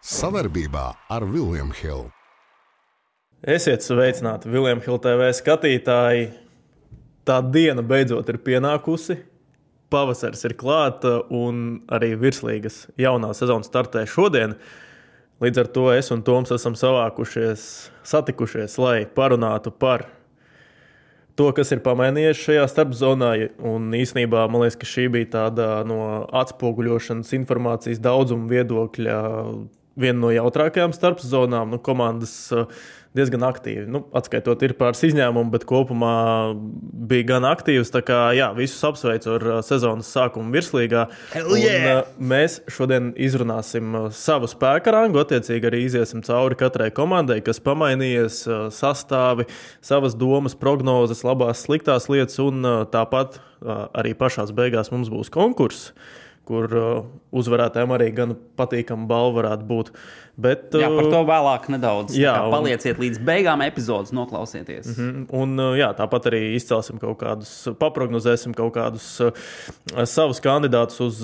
Savarbībā ar William Hill. Esiet sveicināti, William Hill TV skatītāji. Tā diena beidzot ir pienākusi. Pavasaris ir klāta un arī virslīgas jaunā sezona startē šodien. Līdz ar to es un Toms esam satikušies, lai parunātu par to, kas ir pamainījies šajā starpzonā. Un īsnībā man liekas, ka šī bija tāda no atspoguļošanas informācijas daudzuma viedokļa viena no jautrākajām starpzonām. Komandas diezgan aktīvi. Atskaitot ir pāris izņēmumu, bet kopumā bija gan aktīvs. Tā kā visus apsveicu ar sezonas sākumu virslīgā. Mēs šodien izrunāsim savu spēka rangu, attiecīgi arī iziesim cauri katrai komandai, kas pamainījies, sastāvi, savas domas, prognozes, labās, sliktās lietas, un tāpat arī pašās beigās mums būs konkurss, kur uzvarētājiem arī gan patīkama balva varētu būt. Bet, par to vēlāk nedaudz. Palieciet līdz beigām epizodes, noklausieties. Un tāpat arī izcelsim kaut kādus, paprognozēsim kaut kādus savus kandidātus uz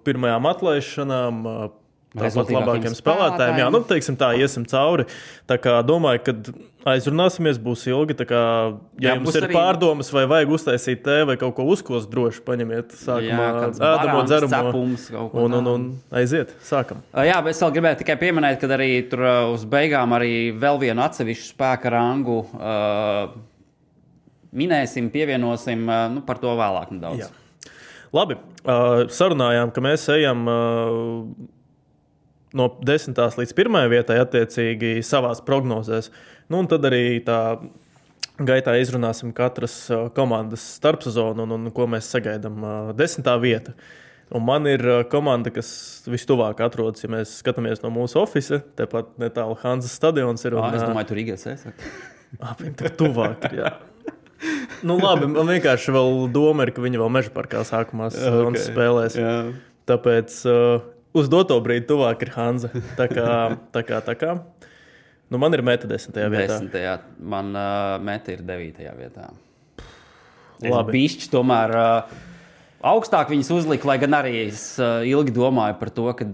pirmajām atlaišanām, tāpat labākiem spēlētājiem. Teiksim tā, iesim cauri. Tā kā domāju, ka aizrunāsimies, būs ilgi. Tā kā, jums ir arī pārdomas, vai vajag uztaisīt tē, vai kaut ko uzkost, droši paņemiet sākumā ēdamo, dzeramo un aiziet, sākam. Bet es vēl gribēju tikai pieminēt, ka arī tur uz beigām arī vēl vienu atsevišķu spēka rangu minēsim, pievienosim, par to vēlāk nedaudz. Jā. Labi, sarunājām, ka mēs ejam no 10. līdz 1. vietai attiecīgi savās prognozēs. Un tad arī tā gaitā izrunāsim katras komandas starpsezonu un ko mēs sagaidām 10. vieta. Un man ir komanda, kas vistuvāk atrodas, ja mēs skatāmies no mūsu ofisa. Tepat netālu Hanzas stadions ir. Es domāju, tur IGC saka. Viņam tur tuvāk ir, jā. Labi, man vienkārši vēl doma ir, ka viņi vēl Meža parkā sākumā spēlēs. Jā. Tāpēc uz doto brīdi tuvāk ir Hanza. Tā kā. Man ir Meta 10. vietā. 10. Man Meta ir 9. vietā. Labi. Bišķi tomēr augstāk viņas uzlika, lai gan arī es ilgi domāju par to, kad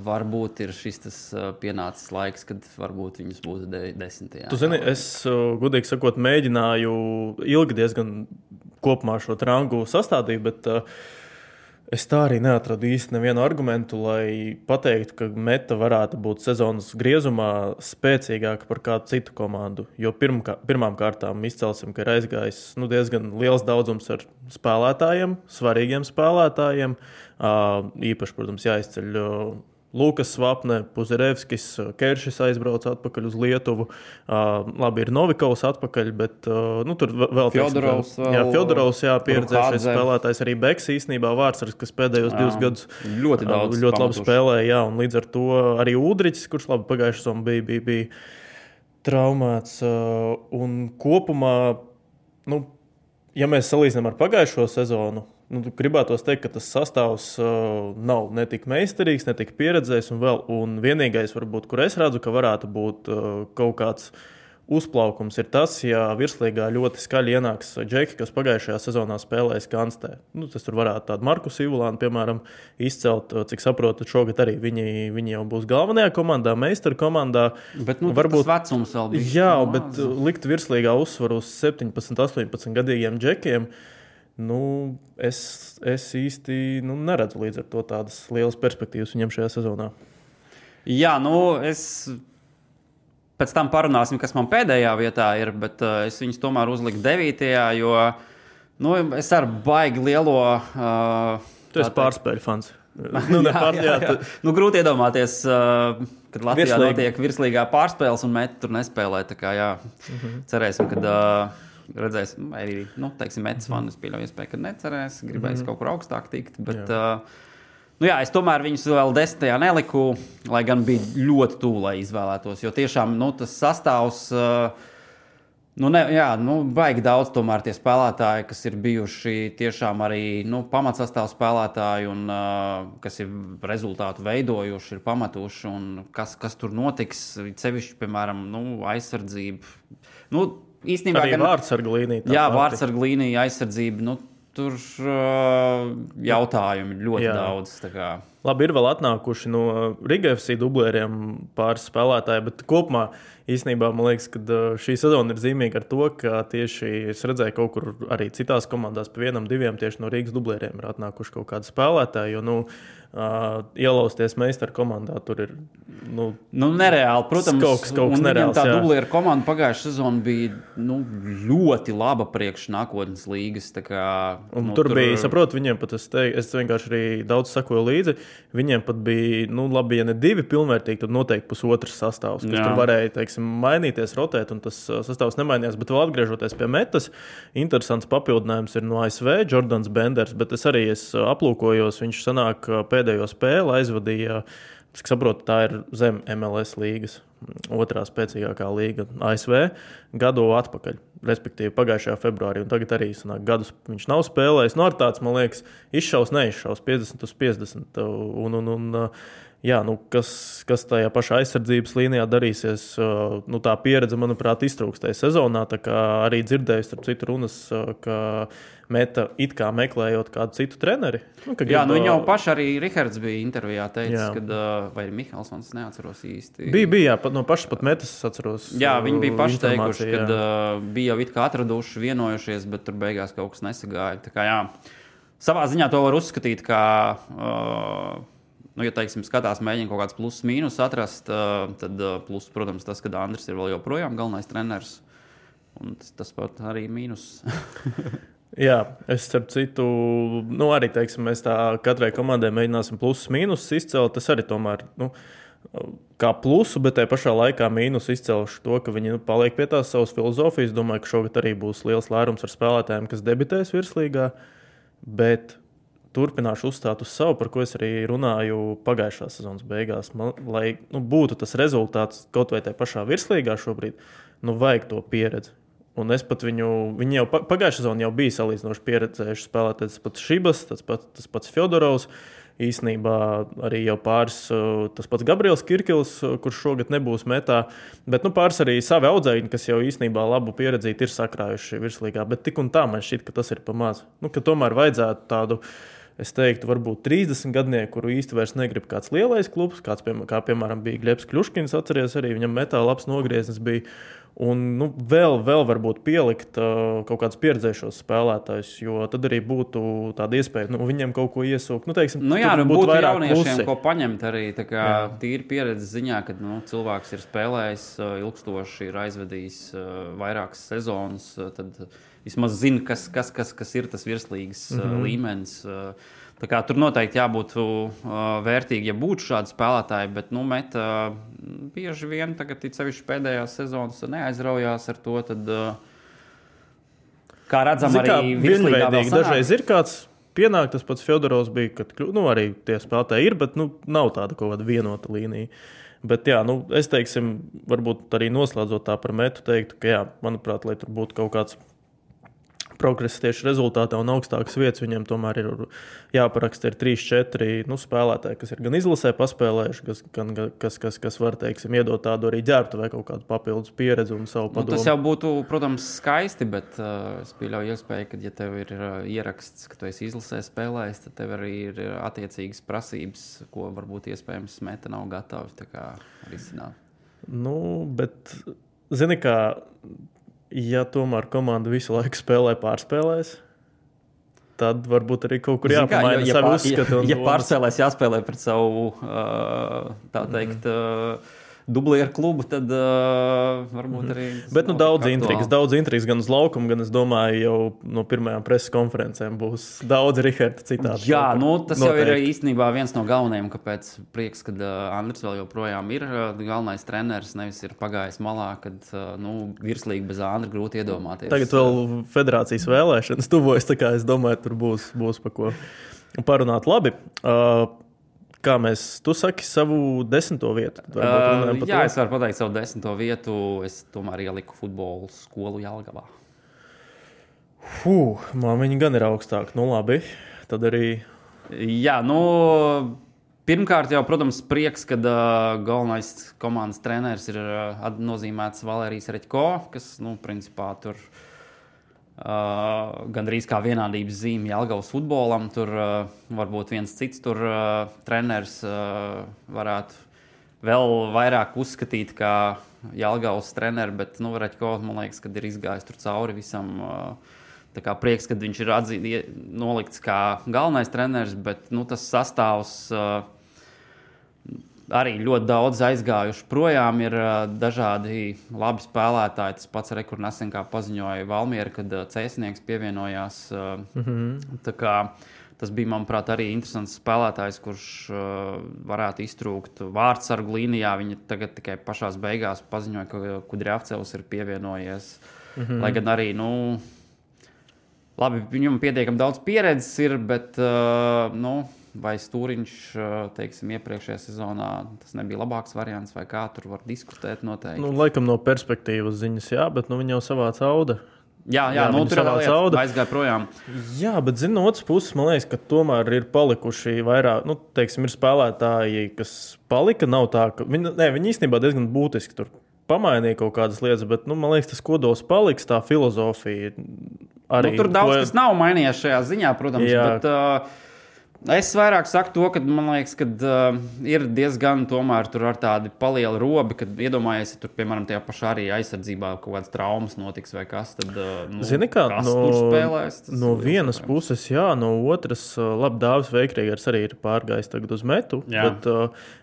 varbūt ir šis tas pienācis laiks, kad varbūt viņas būtu 10. Tu zini, es gudīgi sakot mēģināju ilgi diezgan kopumā šo rangu sastādīt, bet es tā arī neatradu īsti nevienu argumentu, lai pateiktu, ka Meta varētu būt sezonas griezumā spēcīgāka par kādu citu komandu. Jo pirmām kārtām izcelsim, ka ir aizgājis diezgan liels daudzums ar spēlētājiem, svarīgiem spēlētājiem. Īpaši, protams, jāizceļ Lukas Svapne, Puzerevskis, Keršis aizbrauca atpakaļ uz Lietuvu. Labi, ir Novikovs atpakaļ, bet tur vēl Fjodorovs, pieredzējušies spēlētājs, arī Beks īstenībā Vārtsars, kas pēdējos 2 gadus ļoti labi spēlēja, un līdz ar to arī Udriķis, kurš labi pagājušajā sezonā bija traumēts. Un kopumā, ja mēs salīdzinām ar pagājušo sezonu, gribētos teikt, ka tas sastāvs nav ne tik meistarīgs, ne tik pieredzējis un vienīgais, varbūt, kur es redzu, ka varētu būt kaut kāds uzplaukums, ir tas, ja virslīgā ļoti skaļi ienāks džeki, kas pagājušajā sezonā spēlēja Skanstē. Tas tur varētu tādu Markus Ivulānu, piemēram, izcelt, cik saprotu, šogad arī viņi jau būs galvenajā komandā, meistaru komandā. Bet varbūt tas vecums vēl bija. Jā, bet likt virslīgā uzsvaru uz 17, 18 gadīgiem džekiem, es īsti neredzu līdz ar to tādas lielas perspektīvas viņam šajā sezonā. Jā, es pēc tam parunāsim, kas man pēdējā vietā ir, bet es viņus tomēr uzliku 9. jo es ar baigi lielo... Tu esi pārspēļu fans. Grūti iedomāties, kad Latvijā notiek virslīgā pārspēles un Meta tur nespēlē. Tā kā cerēsim, kad... redzēsim, arī, teiksim, Metas fani, es pieļauju iespēju, ka necerēs, gribēs kaut kur augstāk tikt, bet, es tomēr viņus vēl 10. neliku, lai gan bija ļoti tuvu, lai izvēlētos, jo tiešām, tas sastāvs, baigi daudz tomēr tie spēlētāji, kas ir bijuši tiešām arī, pamatsastāv spēlētāji un, kas ir rezultātu veidojuši, ir pametuši un kas tur notiks, sevišķi, piemēram, aizsardzība, īstenībā arī vārtsarga līnija. Jā, vārtsarga līnija, aizsardzība. Tur jautājumi ļoti daudz. Labi, ir vēl atnākuši no Riga FC dublēriem pāris spēlētāji, bet kopumā īstenībā man liekas, ka šī sezona ir zīmīga ar to, ka tieši es redzēju kaut kur arī citās komandās pa 1-2 tieši no Rīgas dublēriem ir atnākuši kaut kādi spēlētāji, jo, ielausties meistaru komandā tur ir, nereāli, protams, kaut nereāls, tā dublieru komanda pagājušā sezona bija, ļoti laba priekš nākotnes līgas, tā kā... Tur bija, saprotu, viņiem pat es vienkārši arī daudz sakoju līdzi, viņiem pat bija, labi, ja ne 2 pilnvērtīgi, tad noteikti pusotrs sastāvs, kas tur varēja, teiksim, mainīties, rotēt, un tas sastāvs nemainījās, bet vēl atgriežoties pie metas, interesants papildinājums ir no ASV, Jordans Benders, bet es aplūkojos, viņš sanāk pēdējo spēli aizvadīja, cik saprotu, tā ir zem MLS līgas, otrā spēcīgākā līga ASV, gadu atpakaļ, respektīvi pagājušajā februārī, un tagad arī sanāk gadus viņš nav spēlējis. Ar tāds, man liekas, izšaus, neizšaus, 50/50, kas tajā pašā aizsardzības līnijā darīsies, tā pieredze, manuprāt, iztrūkstēja sezonā, tā kā arī dzirdēju starp citu runas, ka Meta it kā meklējot kādu citu treneri. Viņi jau paši arī Rihards bija intervijā teicis, kad, vai Mihelsons, neatceros īsti. Bija, no pašas pat Metas es atceros. Jā, viņi bija paši teikuši, kad bija jau it kā atraduši, vienojušies, bet tur beigās kaut kas nesagāja. Tā kā, savā ziņā to var uzskatīt, kā... ja, teiksim, skatās, mēģina kaut kāds pluss mīnus atrast, tad pluss, protams, tas, ka Andris ir vēl joprojām galvenais treneris, un tas pat arī mīnus. Jā, es starp citu, arī, teiksim, mēs tā katrai komandai mēģināsim plusus mīnusus izcelt, tas arī tomēr, kā plusu, bet tajā pašā laikā mīnus izcelšu to, ka viņi paliek pie tās savas filozofijas. Domāju, ka šogad arī būs liels lērums ar spēlētājiem, kas debitēs virslīgā, bet turpināšu uzstāt uz savu, par ko es arī runāju pagājušā sezonas beigās. Lai būtu tas rezultāts kaut vai tajā pašā virslīgā šobrīd, vajag to pieredzi. Un es pat viņi jau pagājušā sezonā jau bija salīdzinoši pieredzējuši spēlētāji, tas pats Šibas, tas pats Fjodorovs, īsnībā arī jau pāris, tas pats Gabriels Kirkils, kurš šogad nebūs metā, bet pāris arī savi audzēkņi, kas jau īsnībā labu pieredzīti ir sakrājuši virslīgā, bet tik un tā man šķiet, ka tas ir pa maz. Ka tomēr vajadzētu tādu, es teiktu, varbūt 30 gadnieku, kuru īsti vairs negrib kāds lielais klubs, kā piemēram bija Glebs Kļuškins, atceries arī, viņam metā labs nogrieznis bija. Un vēl varbūt pielikt kaut kādus pieredzējušos spēlētājus, jo tad arī būtu tāda iespēja viņiem kaut ko iesūkt. Būtu jauniešiem, ko paņemt arī tīri pieredzes ziņā, kad cilvēks ir spēlējis ilgstoši, ir aizvedījis vairākas sezonas, tad vismaz zina, kas ir tas virslīgas līmenis. Tā kā tur noteikti jābūt vērtīgi, ja būtu šādi spēlētāji, bet Meta bieži vien tagad sevišķi pēdējās sezonas neaizraujās ar to, tad kā redzam arī virslīgā vēl sanāk. Dažreiz ir kāds pienāk, tas pats Fjodorovs bija, kad arī tie spēlētāji ir, bet nav tāda kaut kāda vienota līnija. Bet es teiksim, varbūt arī noslēdzot tā par Metu teiktu, ka manuprāt, lai tur būtu kaut kāds progress tieši rezultātā un augstākas vietas, viņiem tomēr ir jāparaksta 3-4 spēlētāji, kas ir gan izlasē paspēlējuši, kas var, teiksim, iedot tādu arī ģērbtu vai kaut kādu papildus pieredzi un savu padomu. Tas jau būtu, protams, skaisti, bet es pieļauju iespēju, ka, ja tev ir ieraksts, ka tu esi izlasē spēlējis, tad tev arī ir attiecīgas prasības, ko varbūt iespējams Meta nav gatavi tā kā risināt. Bet, zini kā, ja tomēr komanda visu laiku spēlē pārspēlēs, tad varbūt arī kaut kur jāpamaina savu uzskatu. Ja pārspēlēs jāspēlē pret savu, tā teikt, dublieru klubu, tad varbūt arī... Bet daudz intrigas gan uz laukumu, gan es domāju, jau no pirmajām preses konferencēm būs daudz Riharda citādi. Jā, tas jau ir īstenībā viens no galvenajiem, kāpēc prieks, kad Andris vēl joprojām ir galvenais treneris, nevis ir pagājis malā, kad virslīgi bez Andra grūti iedomāties. Tagad vēl federācijas vēlēšanas tuvojas, tā kā es domāju, tur būs pa ko parunāt. Labi. Kā tu saki savu 10. vietu? Jā, es varu pateikt savu 10. vietu. Es tomēr ieliku futbolu skolu Jelgavā. Man viņi gan ir augstāk. Labi, tad arī... Jā, pirmkārt jau, protams, prieks, kad galvenais komandas treneris ir nozīmēts Valērijas Reķko, kas, principā tur gandrīz kā vienādības zīme Jelgavas futbolam. Tur varbūt viens cits treneris varētu vēl vairāk uzskatīt kā Jelgavas treneri, bet Raķko, man liekas, kad ir izgājis tur cauri visam. Tā kā prieks, kad viņš ir nolikts kā galvenais treneris, bet tas sastāvs arī ļoti daudz aizgājuši projām. Ir dažādi labi spēlētāji. Tas pats kur nesen kā paziņoja Valmiera, kad Cēsnieks pievienojās. Tā kā tas bija, manuprāt, arī interesants spēlētājs, kurš varētu iztrūkt vārdsargu līnijā. Viņa tagad tikai pašās beigās paziņoja, ka Kudrjavcevs ir pievienojies. Lai gan arī, labi, viņam pietiekami daudz pieredzes ir, bet, vai Stūriņš, teiksim, iepriekšējā sezonā tas nebija labāks variants, vai kā tur var diskutēt noteikti? Laikam no perspektīvas ziņas, jā, bet viņi jau savāca Auda. Jā, tur aizgāja projām. Jā, bet, no otras puses, man liekas, ka tomēr ir palikuši vairāk, teiksim, ir spēlētāji, kas palika, nav tā, ka viņi īstenībā diezgan būtiski tur pamainīja kaut kādas lietas, bet, man liekas, tas kodols paliks, tā filozofija arī. Tur daudz kas nav mainījies šajā ziņā, protams, bet es vairāk saku to, ka man liekas, ka ir diezgan tomēr tur ar tādi palieli robi, kad iedomājies, ja tur, piemēram, tajā pašā arī aizsardzībā kaut kādas traumas notiks vai kas, tad Zini kā, kas tur spēlēs? No vienas puses, jā, no otras, labi, Dāvis Veikrīgers arī ir pārgājis tagad uz metu, bet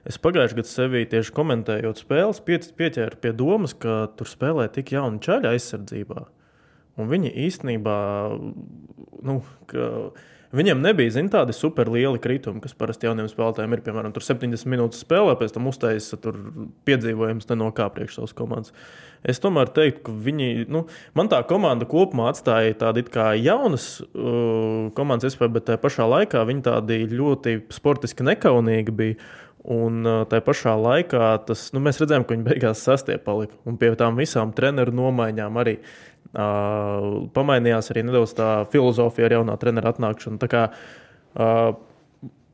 es pagājuši gadu sevī tieši komentējot spēles, pieķēru pie domas, ka tur spēlē tik jauni čaļi aizsardzībā, un viņi īstenībā, viņiem nebija, tādi super lieli kritumi, kas parasti jauniem spēlētājiem ir, piemēram, tur 70 minūtes spēlē, pēc tam uztaisa tur piedzīvojums no kā priekš savas komandas. Es tomēr teiktu, ka viņi, man tā komanda kopumā atstāja tādi kā jaunas komandas iespēju, bet tajā pašā laikā viņi tādi ļoti sportiski nekaunīgi bija. Un tajā pašā laikā mēs redzējām, ka viņi beigās sastie palika. Un pie tām visām treneru nomaiņām arī pamainījās arī nedaudz tā filozofija ar jaunā trenera atnākšanu. Tā kā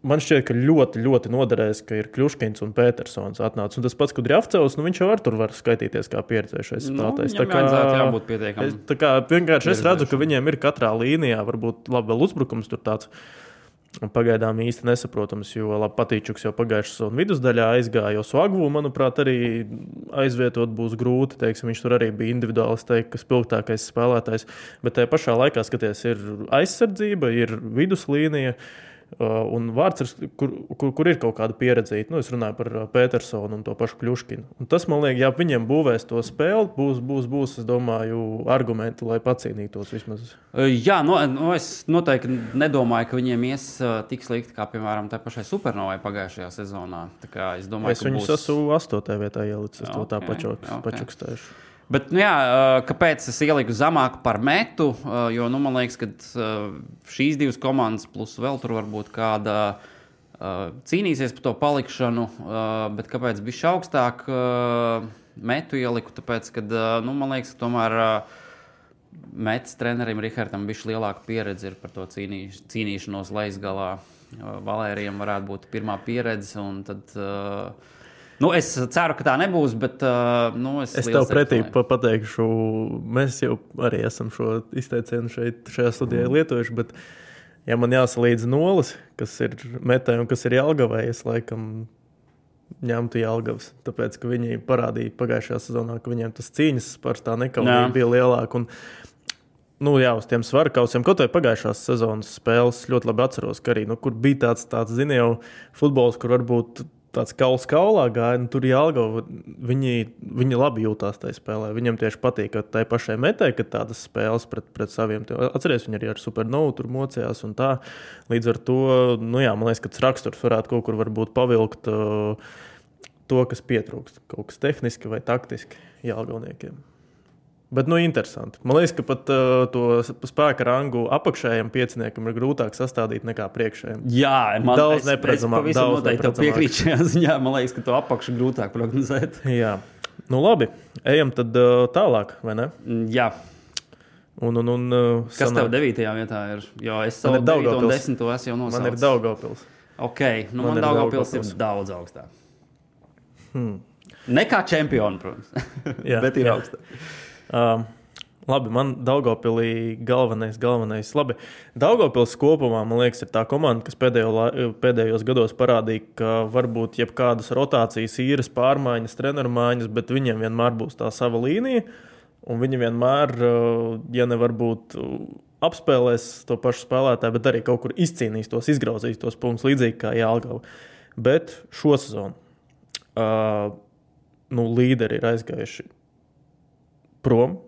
man šķiet, ka ļoti, ļoti noderēs, ka ir Kļuškins un Petersons atnācis. Un tas pats, kad Rjavcevs, viņš jau tur var skaitīties kā pieredzējušais spēlētājs. Viņam vajadzētu jābūt pietiekami. Tā kā vienkārši es redzu, ka viņiem ir katrā līnijā, varbūt labi vēl uzbrukums tur tāds. Pagaidām īsti nesaprotams, jo Patīčuks jau pagājušā sezona vidusdaļā aizgāja, jo Svagvu, manuprāt, arī aizvietot būs grūti. Teiksim, viņš tur arī bija individuāls, spilgtākais spēlētājs, bet tajā pašā laikā, skaties, ir aizsardzība, ir viduslīnija un vārds, kur ir kaut kāda pieredzīta. Es runāju par Petersonu un to pašu Kļuškinu. Un tas, man liekas, ja viņiem būvēs to spēli, būs, es domāju, argumenti, lai pacīnītos vismaz. Jā, es noteikti nedomāju, ka viņiem ies tik slikti, kā, piemēram, tā pašai Supernovai pagājušajā sezonā. Tā kā es domāju, es viņus esmu 8. vietā ielicis, to tā pačukstējuši. Bet, kāpēc es ieliku zemāku par metu? Jo, man liekas, ka šīs divas komandas, plus vēl tur varbūt kāda cīnīsies par to palikšanu, bet kāpēc bišķi augstāk metu ieliku? Tāpēc, ka, man liekas, ka tomēr metas trenerim Rihardam bišķi lielāka pieredze ir par to cīnīšanos lejas-galā. Valērijam varētu būt pirmā pieredze, un tad... es ceru, ka tā nebūs, bet es tev pretī pateikšu, mēs jau arī esam šo izteicienu šajā studijā lietojuši, bet ja man jāsalīdz nolis, kas ir metē un kas ir Jelgavai, es laikam ņemtu Jelgavas, tāpēc, ka viņi parādīja pagājušajā sezonā, ka viņiem tas cīņas par tā nekaunība bija lielāka. Un, uz tiem svarkausiem, kaut vai pagājušās sezonas spēles ļoti labi atceros, ka arī, kur bija tāds zini jau futbols, kur varbūt tāds kauls kaulā gāja, tur Jelgava, viņi labi jūtās tajā spēlē. Viņam tieši patīk, ka tai pašai metē, ka tādas spēles pret saviem. Atceries, viņi arī ar Supernovu tur mocījās un tā. Līdz ar to, man liekas, ka tas raksturs varētu kaut kur varbūt pavilkt to, kas pietrūkst. Kaut kas tehniski vai taktiski Jelgavniekiem. Bet, interesanti. Man liekas, ka pat to spēka rangu apakšējiem pieciniekam ir grūtāk sastādīt nekā priekšējiem. Jā, daudz neparedzamāk. Es pavisam noteikti tev piekrītu šajā ziņā. Man liekas, ka to apakšu grūtāk prognozēt. Jā. Labi. Ejam tad tālāk, vai ne? Jā. Kas tev 9. vietā ir? Jo es savu 9. un 10. esmu jau nosaucis. Man ir Daugavpils. Ok, man Daugavpils ir daudz augstāk. Nekā čempioni, protams. Jā, bet ir augstāk. Labi, man Daugavpilī galvenais. Labi, Daugavpils kopumā, man liekas, ir tā komanda, kas pēdējos gados parādīja, ka varbūt jebkādas rotācijas, īres pārmaiņas, treneru maiņas, bet viņiem vienmēr būs tā sava līnija, un viņi vienmēr, ja nevar būt apspēlēs to pašu spēlētāju, bet arī kaut kur izcīnīs tos, izgrauzīs tos punktus, līdzīgi kā Jelgava. Bet šo sezonu līderi ir aizgājuši prom,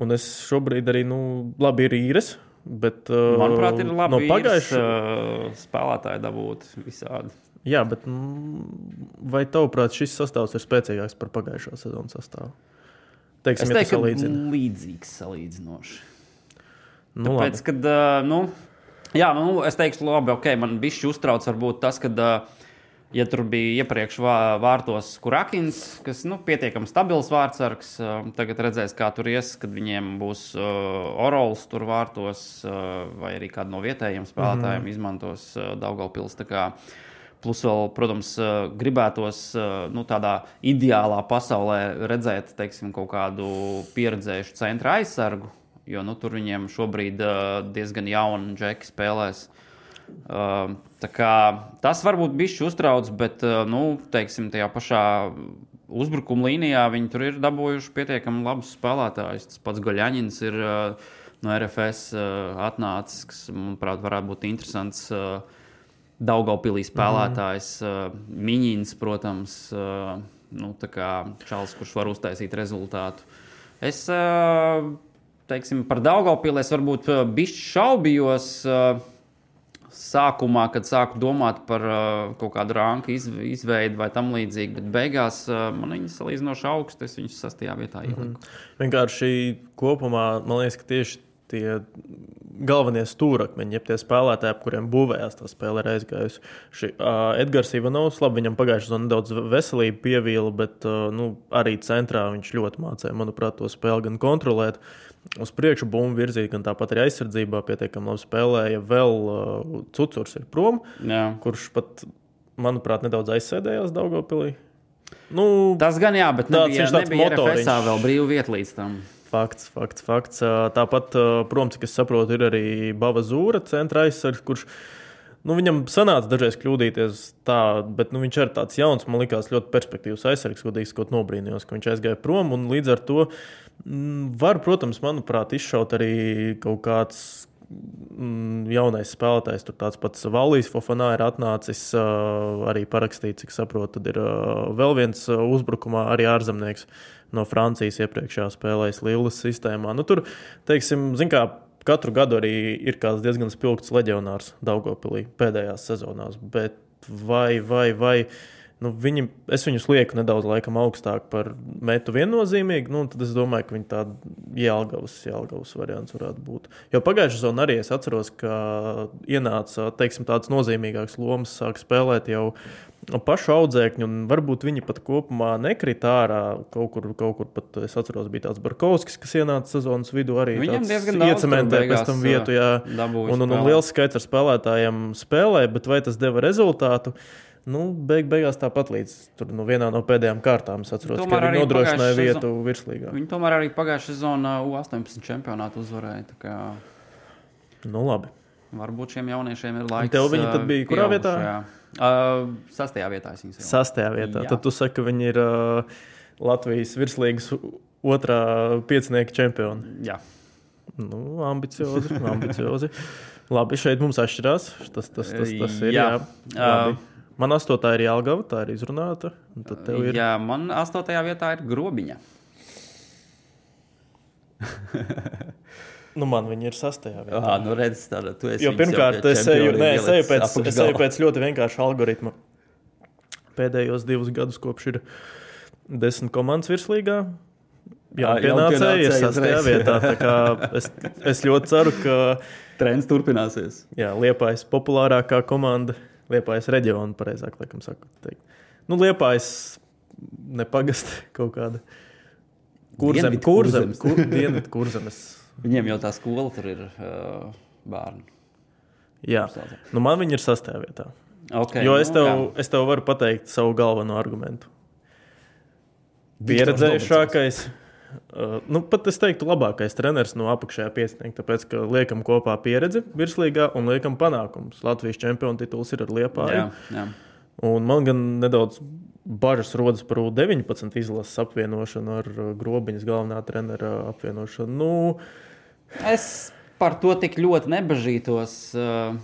un es šobrīd arī, labi ir īres, bet manuprāt, ir labi no pagājušā spēlētāji dabūt visādi. Jā, bet vai tavuprāt šis sastāvs ir spēcīgāks par pagājušā sezonas sastāvu? Teiksim, es teiktu, ka līdzīgs salīdzinoši. Tāpēc, kad, es teikšu, labi, ok, man bišķi uztrauc varbūt tas, kad, ja tur bija iepriekš vārtos Kurakins, kas, pietiekami stabils vārtsargs, tagad redzēs, kā tur ies, kad viņiem būs Orols tur vārtos, vai arī kādu no vietējiem spēlētājiem izmantos Daugavpils, tā kā. Plus vēl, protams, gribētos tādā ideālā pasaulē redzēt, teiksim, kaut kādu pieredzējušu centra aizsargu, jo tur viņiem šobrīd diezgan jauni džeki spēlēs. Tā kā tas varbūt bišķi uztrauc, bet, teiksim, tajā pašā uzbrukuma līnijā viņi tur ir dabūjuši pietiekami labus spēlētājus. Tas pats Goļaņins ir no RFS atnācis, kas, manuprāt, varētu būt interesants Daugavpilī spēlētājs, Miņins, protams, tā kā čalis, kurš var uztaisīt rezultātu. Es, teiksim, par Daugavpili es varbūt bišķi šaubījos sākumā, kad sāku domāt par kaut kādu ranku izveidi vai tam līdzīgi, bet beigās man viņas salīdzinoši augsti, es viņus 6. vietā ieliku. Vienkārši kopumā, man liekas, ka tieši tie galvenie stūrakmeņi, jeb tie spēlētāji, ap kuriem būvējās tā spēle ir aizgājusi. Edgars Ivanovs, labi, viņam pagājušajā sezonā nedaudz veselība pievīla, bet arī centrā viņš ļoti mācīja, manuprāt, to spēli gan kontrolēt, uz priekšu bumbu virzīt, gan tāpat arī aizsardzībā pietiekami labi spēlēja. Vēl Cucurs ir prom, kurš pat, manuprāt, nedaudz aizsēdējās Daugavpilī. Tas gan jā, bet nebija RFSā vēl brīvu vietu līdz tam. Fakts. Tāpat, protams, cik es saprotu, ir arī Bava Zūra centra aizsargs, kurš, viņam sanāca dažreiz kļūdīties tā, bet viņš ir tāds jauns, man likās ļoti perspektīvs aizsargs, godīgi sakot, nobrīnījos, ka viņš aizgāja prom, un līdz ar to var, protams, manuprāt, izšaut arī kaut kāds jaunais spēlētājs, tur tāds pats Valīs Fofanā ir atnācis, arī parakstīts, cik saprotu, tad ir vēl viens uzbrukumā arī ārzemnieks no Francijas iepriekšējā spēlējas Lillas sistēmā. Tur, teiksim, kā katru gadu arī ir kāds diezgan spilgts leģionārs Daugavpilī pēdējās sezonās, bet vai es viņus lieku nedaudz laikam augstāk par metu viennozīmīgi, tad es domāju, ka viņi tāda Jelgavas variants varētu būt. Jo pagājušajā sezonā arī es atceros, ka ienāca, teiksim, tāds nozīmīgāks lomas, sāk spēlēt jau pašu audzēkņu, un varbūt viņi pat kopumā nekrita ārā. Kaut kur pat, es atceros, bija tāds Barkovskis, kas ienāca sezonas vidū arī iecementē pēc tam vietu, un liels skaits ar spēlētājiem spēlē, bet vai tas deva rezultātu? Beigās tāpat līdz tur, vienā no pēdējām kārtām es atceros, ka viņi nodrošināja vietu virslīgā. Viņi tomēr arī pagājušā sezonā U18 čempionātu uzvarēja. Tā kā... labi. Varbūt šiem jauniešiem ir laiks. Tev viņi tad bija kurā vietā? 6. vietā. 6. vietā. Tad tu saki, ka viņi ir Latvijas virslīgas otrā piecinieka čempioni. Jā. Ambiciozi. Labi, šeit mums atšķirās. Tas ir, jā. Labi. Man 8. ir Jelgava, tā ir izrunāta. Ir... Jā, man 8. vietā ir Grobiņa. Man viņi ir 6. vietā. Redz, tāda, tu esi. Jo pirmkārt, es eju pēc ļoti vienkārša algoritma. Pēdējos 2 gadus kopš ir 10 komandas virslīgā. Pienācēji ir 6. vietā. Tā kā es ļoti ceru, ka trends turpināsies. Jā, Liepājas populārākā komanda. Liepājas reģionu, pareizāk, laikam saku teikt. Liepājas nepagasti kaut kāda. Dienvidu Kurzemes. Viņiem jau tā skola tur ir bērni. Jā, man viņi ir 6. vietā. Okay, jo es tev varu pateikt savu galveno argumentu. Pieredzējušākais Pat es teiktu, labākais treneris no apakšējā piecinieka, tāpēc, ka liekam kopā pieredzi virslīgā un liekam panākumus. Latvijas čempionu tituls ir ar Liepāju. Jā. Un man gan nedaudz bažas rodas par U19 izlases apvienošanu ar Grobiņas galvenā trenera apvienošanu. Es par to tik ļoti nebažītos.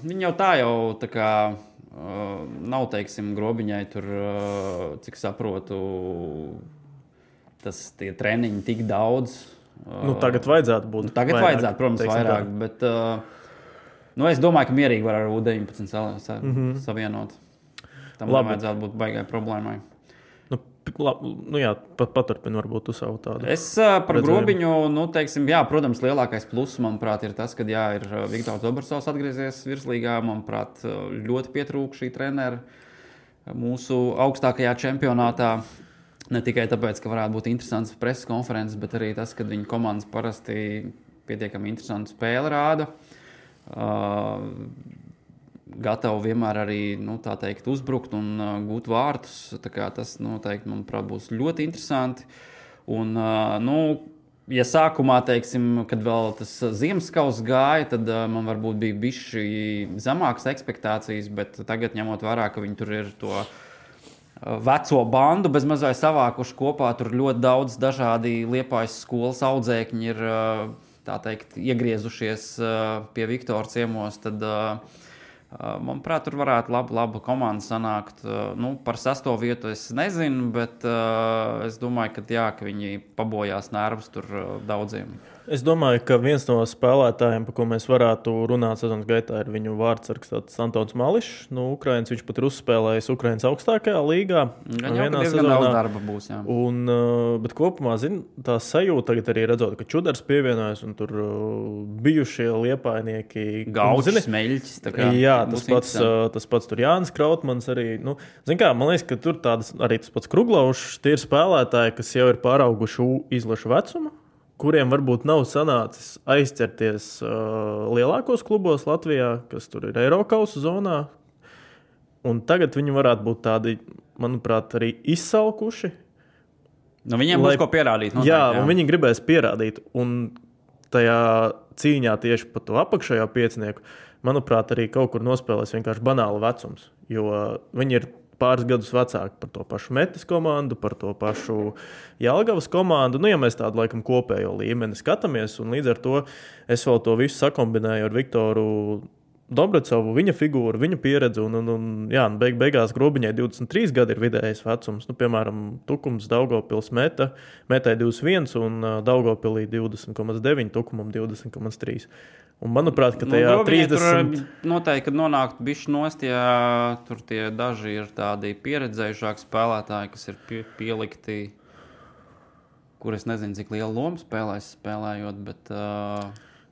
Viņi tā kā nav, teiksim, Grobiņai tur, cik saprotu, tie treniņi tik daudz. Tagad vajadzētu būt. Tagad vajadzētu, protams, vairāk, bet es domāju, ka mierīgi var ar U19 savienot. Tam nevajadzētu būt baigai problēmai. Paturpini varbūt uz savu tādu. Es par Grobiņu, teiksim, protams, lielākais pluss, manuprāt, ir tas, ka ir Viktors Dobersovs atgriezies virslīgā. Manuprāt, ļoti pietrūka šī trenera mūsu augstākajā čempionātā. Ne tikai tāpēc, ka varētu būt interesants preses konferences, bet arī tas, ka viņa komandas parasti pietiekami interesantu spēli rāda. Gatavi vienmēr arī, tā teikt, uzbrukt un gūt vārtus. Tā kā tas noteikti, manuprāt, būs ļoti interesanti. Un, ja sākumā, teiksim, kad vēl tas Ziemasskalns gāja, tad man varbūt bija bišķi zemākas ekspektācijas, bet tagad, ņemot vērā, ka viņi tur ir to veco bandu bezmazai savākuši kopā, tur ļoti daudz dažādi Liepājas skolas audzēkņi ir, tā teikt, iegriezušies pie Viktora ciemos, tad, manuprāt, tur varētu laba komanda sanākt. Par 6. vietu es nezinu, bet es domāju, ka viņi pabojās nervus tur daudziem. Es domāju, ka viens no spēlētājiem, par ko mēs varētu runāt sezonas gaitā, ir viņu vārdsargs Antons Mališs. Ukraiņš, viņš pat ir uzspēlējis Ukraiņas augstākajā līgā. Vienā sezonā daudz darba būs, jā. Bet kopumā, tā sajūta tagad arī redzot, ka Čudars pievienojas un tur bijušie liepājnieki. Gaučs, Smeļķis. Jā, tas pats tur Jānis Krautmans arī. Man liekas, ka tur arī tas pats Kruglavs, tie ir spēlētāji, kas jau ir pārauguši izlašu vecumu, kuriem varbūt nav sanācis aizķerties lielākos klubos Latvijā, kas tur ir Eirokausa zonā. Un tagad viņi varētu būt tādi, manuprāt, arī izsalkuši. Viņiem būs ko pierādīt. Noteikti, jā, un viņi gribēs pierādīt. Un tajā cīņā tieši par to apakšējo piecinieku, manuprāt, arī kaut kur nospēlēs vienkārši banāli vecums. Jo viņi ir pāris gadus vecāki par to pašu Metis komandu, par to pašu Jelgavas komandu. Ja mēs tādu laikam kopējo līmeni skatāmies, un līdz ar to es vēl to visu sakombinēju ar Viktoru Dobrecovu, viņa figūru, viņa pieredzi, un beigās Grobiņai 23 gadi ir vidējais vecums. Piemēram, Tukums, Daugavpils Metai 21 un Daugavpilī 20,9, Tukumam 20,3. Un manuprāt, ka tajā 30... Tur noteikti, kad nonākt bišķi nost, ja tur tie daži ir tādi pieredzējušāki spēlētāji, kas ir pielikti, kur es nezinu, cik lielu lomu spēlējot, bet...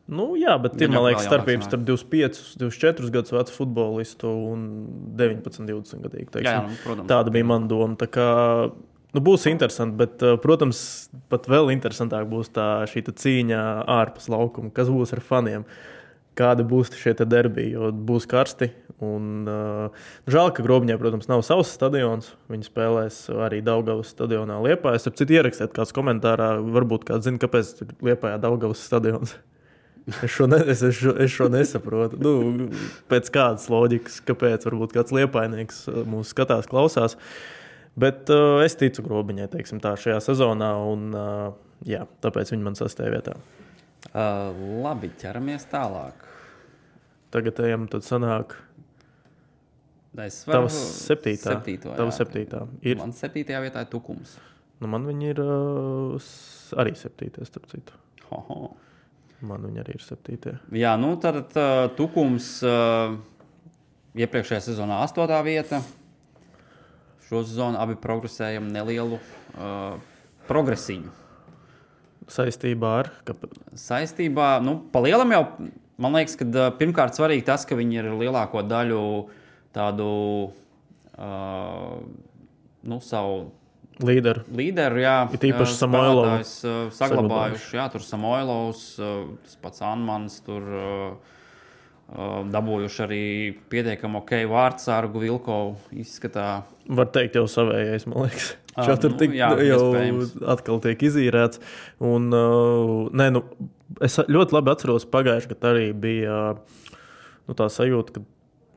bet ir, man liekas, starpības starp 25, 24 gadus vecu futbolistu un 19, 20 gadīgu. Protams. Tāda bija mana doma. Tā kā, būs interesanti, bet, protams, pat vēl interesantāk būs šī cīņa ārpus laukuma, kas būs ar faniem. Kādi būs šie derbi, jo būs karsti. Un, žēl, ka Grobiņai, protams, nav savs stadions. Viņi spēlēs arī Daugavas stadionā Liepājā. Es citu ierakstēt kāds komentārā, varbūt kāds zina, kāpēc ir Liepājā Daugavas stadions. Es šo nesaprotu. Pēc kādas loģikas, kāpēc varbūt kāds liepājnieks mūs skatās, klausās. Bet es ticu Grobiņai, teiksim tā, šajā sezonā, un tāpēc viņi man 6. vietā. Labi, ķeramies tālāk. Tagad ejam, tad sanāk tavs 7. Tava 7. Ir. Man 7. vietā ir Tukums. Man viņi ir arī 7. starp citu. Hoho. Man viņi arī ir 7. Jā, tad Tukums iepriekšējā sezonā 8. vieta. Šo sezonu abi progresējam nelielu progresiņu. Saistībā ar? Saistībā, pa lielam jau, man liekas, ka pirmkārt svarīgi tas, ka viņi ir lielāko daļu tādu savu līderu, jā. Ir īpaši Samoilovs. Saglabājuši, jā, tur Samoilovs, tas pats Anmans, tur Dabūjuši arī pietiekami vārdsargu Vilkovu izskatā. Var teikt, jau savējais, man liekas. Tur jau atkal tiek izīrēts. Un, es ļoti labi atceros pagājuši, kad arī bija tā sajūta, ka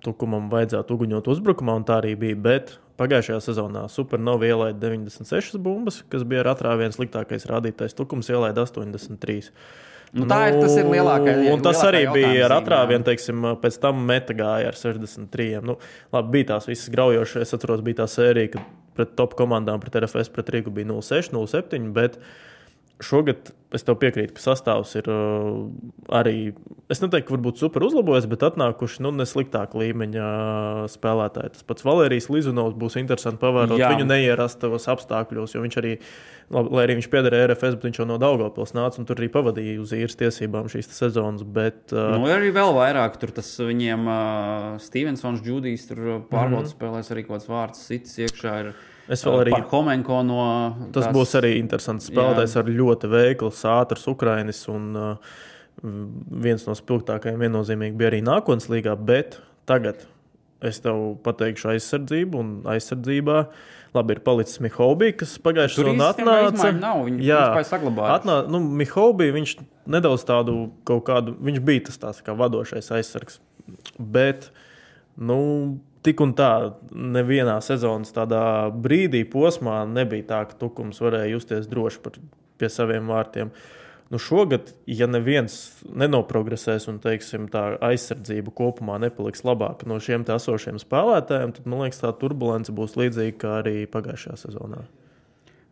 Tukumam vajadzētu uguņot uzbrukumā, un tā arī bija. Bet pagājušajā sezonā Supernova ielaida 96 bumbas, kas bija ar atrāvienu sliktākais rādītājs. Tukums ielaida 83. Tas ir lielākais. Un tas arī bija ar atrāvienu, teiksim, pēc tam meta gāja ar 63. Labi, bija tās visas graujošas. Es atceros, bija tā sērija, kad pret top komandām, pret RFS, pret Rīgu bija 0-6, 0-7, bet šogad es tev piekrītu, ka sastāvs ir arī, es neteiktu, ka varbūt super uzlabojies, bet atnākuši nesliktāka līmeņa spēlētāji. Tas pats Valērijas Lizunovs būs interesanti pavērot viņu neierastos apstākļos, jo viņš arī, lai arī viņš piederēja RFS, bet viņš jau no Daugavpils nāca un tur arī pavadīja uz īres tiesībām šīs sezonas. Bet, arī vēl vairāk, tur tas viņiem Stevensons, Džudijs, tur pārbaudas spēlēs arī kaut kāds vārds, Sitis iekšā ir. Es vēl arī Parhomenko no... Tas būs arī interesants spēlētājs ar ļoti veikls, ātrs Ukrainis un viens no spilgtākajiem viennozīmīgi bija arī nākotnes līgā, bet tagad es tev pateikšu aizsardzību un aizsardzībā. Labi, ir palicis Mihovbī, kas pagājušajā sezonā atnāca. Viņš saglabāja. Mihovbī, viņš nedaudz tādu kaut kādu, viņš bija tas kā vadošais aizsargs, bet, tik un tā, nevienā sezonas tādā brīdī posmā nebija tā, ka Tukums varēja justies droši pie saviem vārtiem. Šogad, ja neviens nenoprogresēs un, teiksim, tā aizsardzība kopumā nepaliks labāka no šiem esošiem spēlētājiem, tad, man liekas, tā turbulence būs līdzīga kā arī pagājušajā sezonā.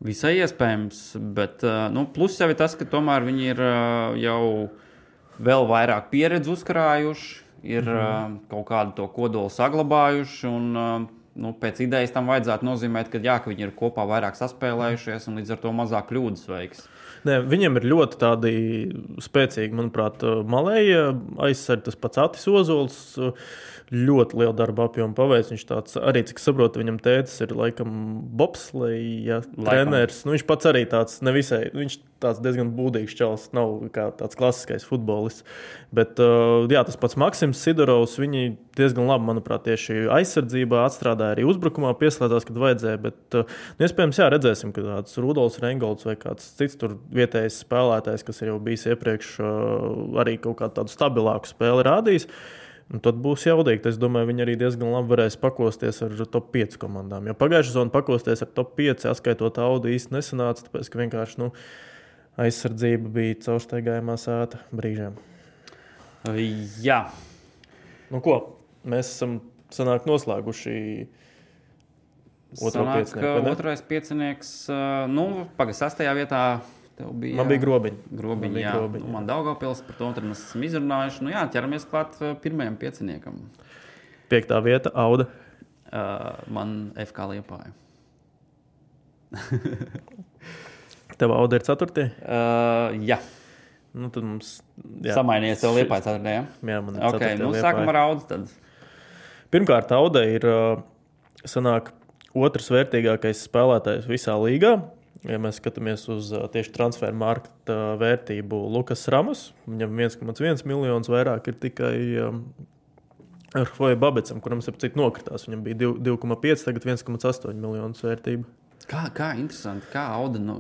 Visai iespējams, bet plus jau ir tas, ka tomēr viņi ir jau vēl vairāk pieredzi uzkrājuši. Ir kaut kādu to kodolu saglabājuši, un pēc idejas tam vajadzētu nozīmēt, ka viņi ir kopā vairāk saspēlējušies un līdz ar to mazāk kļūdas veiks. Viņiem ir ļoti tādi spēcīgi, manuprāt, malēji aizsardzi, tas pats Atis Ozols, ļoti lielu darbu apjomu paveic. Viņš tāds, arī, cik saprotu, viņam tētis ir laikam bobsleja treneris. Viņš pats arī tāds nevisai, viņš tāds diezgan būdīgs čalis, nav kā tāds klasiskais futbolists. Bet, tas pats Maksims Sidorovs, viņi diezgan labi, manuprāt, tieši aizsardzībā atstrādāja, arī uzbrukumā pieslēdzās, kad vajadzēja, bet, iespējams, redzēsim, ka tāds Rudolfs Reingolds vai kāds cits tur vietējais spēlētājs, kas ir jau bijis iepriekš, arī kaut kādu tādu stabilāku spēli rādījis. Un tad būs jaudīgi. Es domāju, viņi arī diezgan labi varēs pakosties ar top 5 komandām. Jo pagājušā sezonā pakosties ar top 5, atskaitot Audu, īsti nesanāca, tāpēc, ka vienkārši aizsardzība bija caurstaigājumā sēta brīžiem. Jā. Ko? Mēs esam noslēguši otro piecinieku. Otrais piecinieks, sastajā vietā bija, man bija Grobiņi. Grobiņi. Man Daugavpils, par to mēs esam izrunājuši. Ķeramies klāt pirmajam pieciniekam. 5. vieta, Auda. Man FK Liepāja. Tev Auda ir 4. Jā. Tad mums... Samainies tev Liepāja 4. Jā, man ir 4. Sākam ar Audu tad. Pirmkārt, Auda ir sanāk otrs vērtīgākais spēlētājs visā līgā. Ja mēs skatāmies uz tieši transferu marketa vērtību, Lukas Ramas, viņam 1,1 miljonus vairāk ir tikai Arhoja Babecam, kuram citu nokritās. Viņam bija 2,5, tagad 1,8 miljonus vērtība. Kā interesanti, kā Auda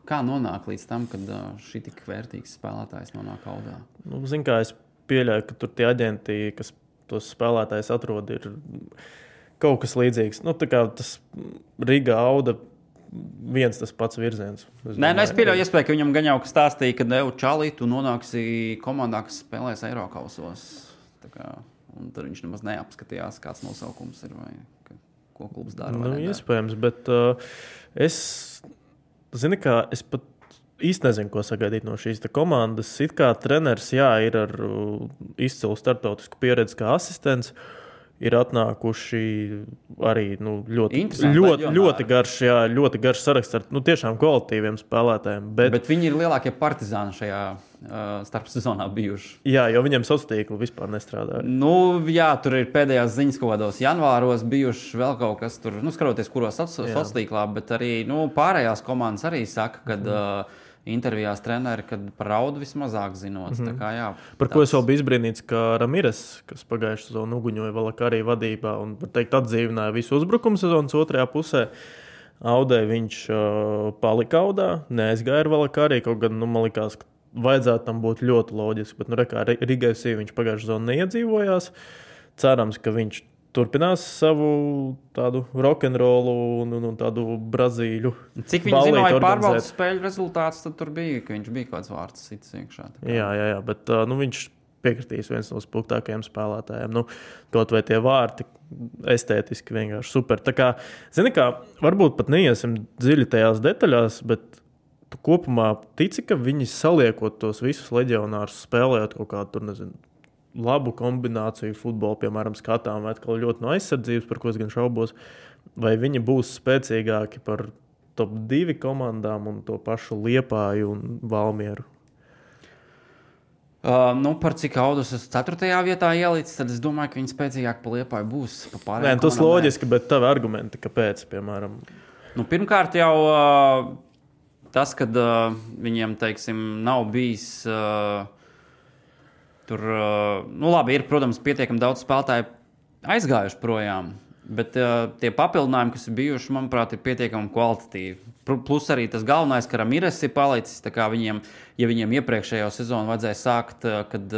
kā nonāk līdz tam, kad šī tik vērtīgs spēlētājs nonāk Audā? Zin kā, es pieļauju, ka tur tie aģenti, kas tos spēlētājus atrod, ir kaut kas līdzīgs. Tā kā tas Riga Auda viens tas pats virziens. Es pieļauju iespēju, ka viņam gan jau stāstīja, ka Čalī, tu nonāksi komandā, kas spēlēs Eirokausos. Un tad viņš nemaz neapskatījās, kāds nosaukums ir vai ko klubs dara. Iespējams, bet es pat īsti nezinu, ko sagaidīt no šīs komandas. It kā treneris, ir ar izcilu starptautisku pieredzi kā asistents. Ir atnākuši arī ļoti garš saraksts ar tur kvalitīviem spēlētājiem. Bet viņi ir lielākie partizāni šajā starpsezonā bijuši. Jā, jo viņiem sociālā tīkla vispār nestrādāja. Tur ir pēdējās ziņas kaut kādos janvāros bijuši vēl kaut kas tur, skatoties, kuros sociālā tīklā, bet arī pārējās komandas arī saka, ka intervijās treneri, kad par Raudu vismazāk zinot. Tā kā, jā, par ko es vēl biju izbrīnīts, ka Ramires, kas pagājušajā sezonā uguņoja Valakārī vadībā un, var teikt, atdzīvināja visu uzbrukumu sezonas otrajā pusē, Audē viņš palika Audā, neaizgāja ar Valakārī, kaut gan, man likās, ka vajadzētu tam būt ļoti loģiski, bet, kā Riga FC viņš pagājušajā sezonā neiedzīvojās. Cerams, ka viņš turpinās savu tādu rock'n'rollu un tādu Brazīļu. Cik viņi zināja pārbaudas spēļu rezultātus, tad tur bija, ka viņš bija kāds vārds cits iekšā. Jā, bet viņš piekritīs viens no spilgtākajiem spēlētājiem. Kaut vai tie vārti estētiski vienkārši super. Tā kā, zini kā, varbūt pat neiesim dziļi tajās detaļās, bet tu kopumā tici, ka viņi saliekot tos visus leģionārus spēlējot kaut kādu, tur nezinu, labu kombināciju futbolu, piemēram, skatām, vai atkal ļoti no aizsardzības, par ko es gan šaubos, vai viņi būs spēcīgāki par top 2 komandām un to pašu Liepāju un Valmieru? Par cik Audus es 4. vietā ielicis, tad es domāju, ka viņi spēcīgāk pa Liepāju būs. Nē, tas loģiski, bet tavi argumenti, kāpēc, piemēram? Pirmkārt jau tas, kad viņiem, teiksim, nav bijis tur, labi, ir, protams, pietiekami daudz spēlētāju aizgājuši projām, bet tie papildinājumi, kas ir bijuši, manuprāt, ir pietiekami kvalitatīvi. Plus arī tas galvenais, ka Ramires ir palicis, tā kā viņiem, ja viņiem iepriekšējo sezonu vajadzēja sākt, kad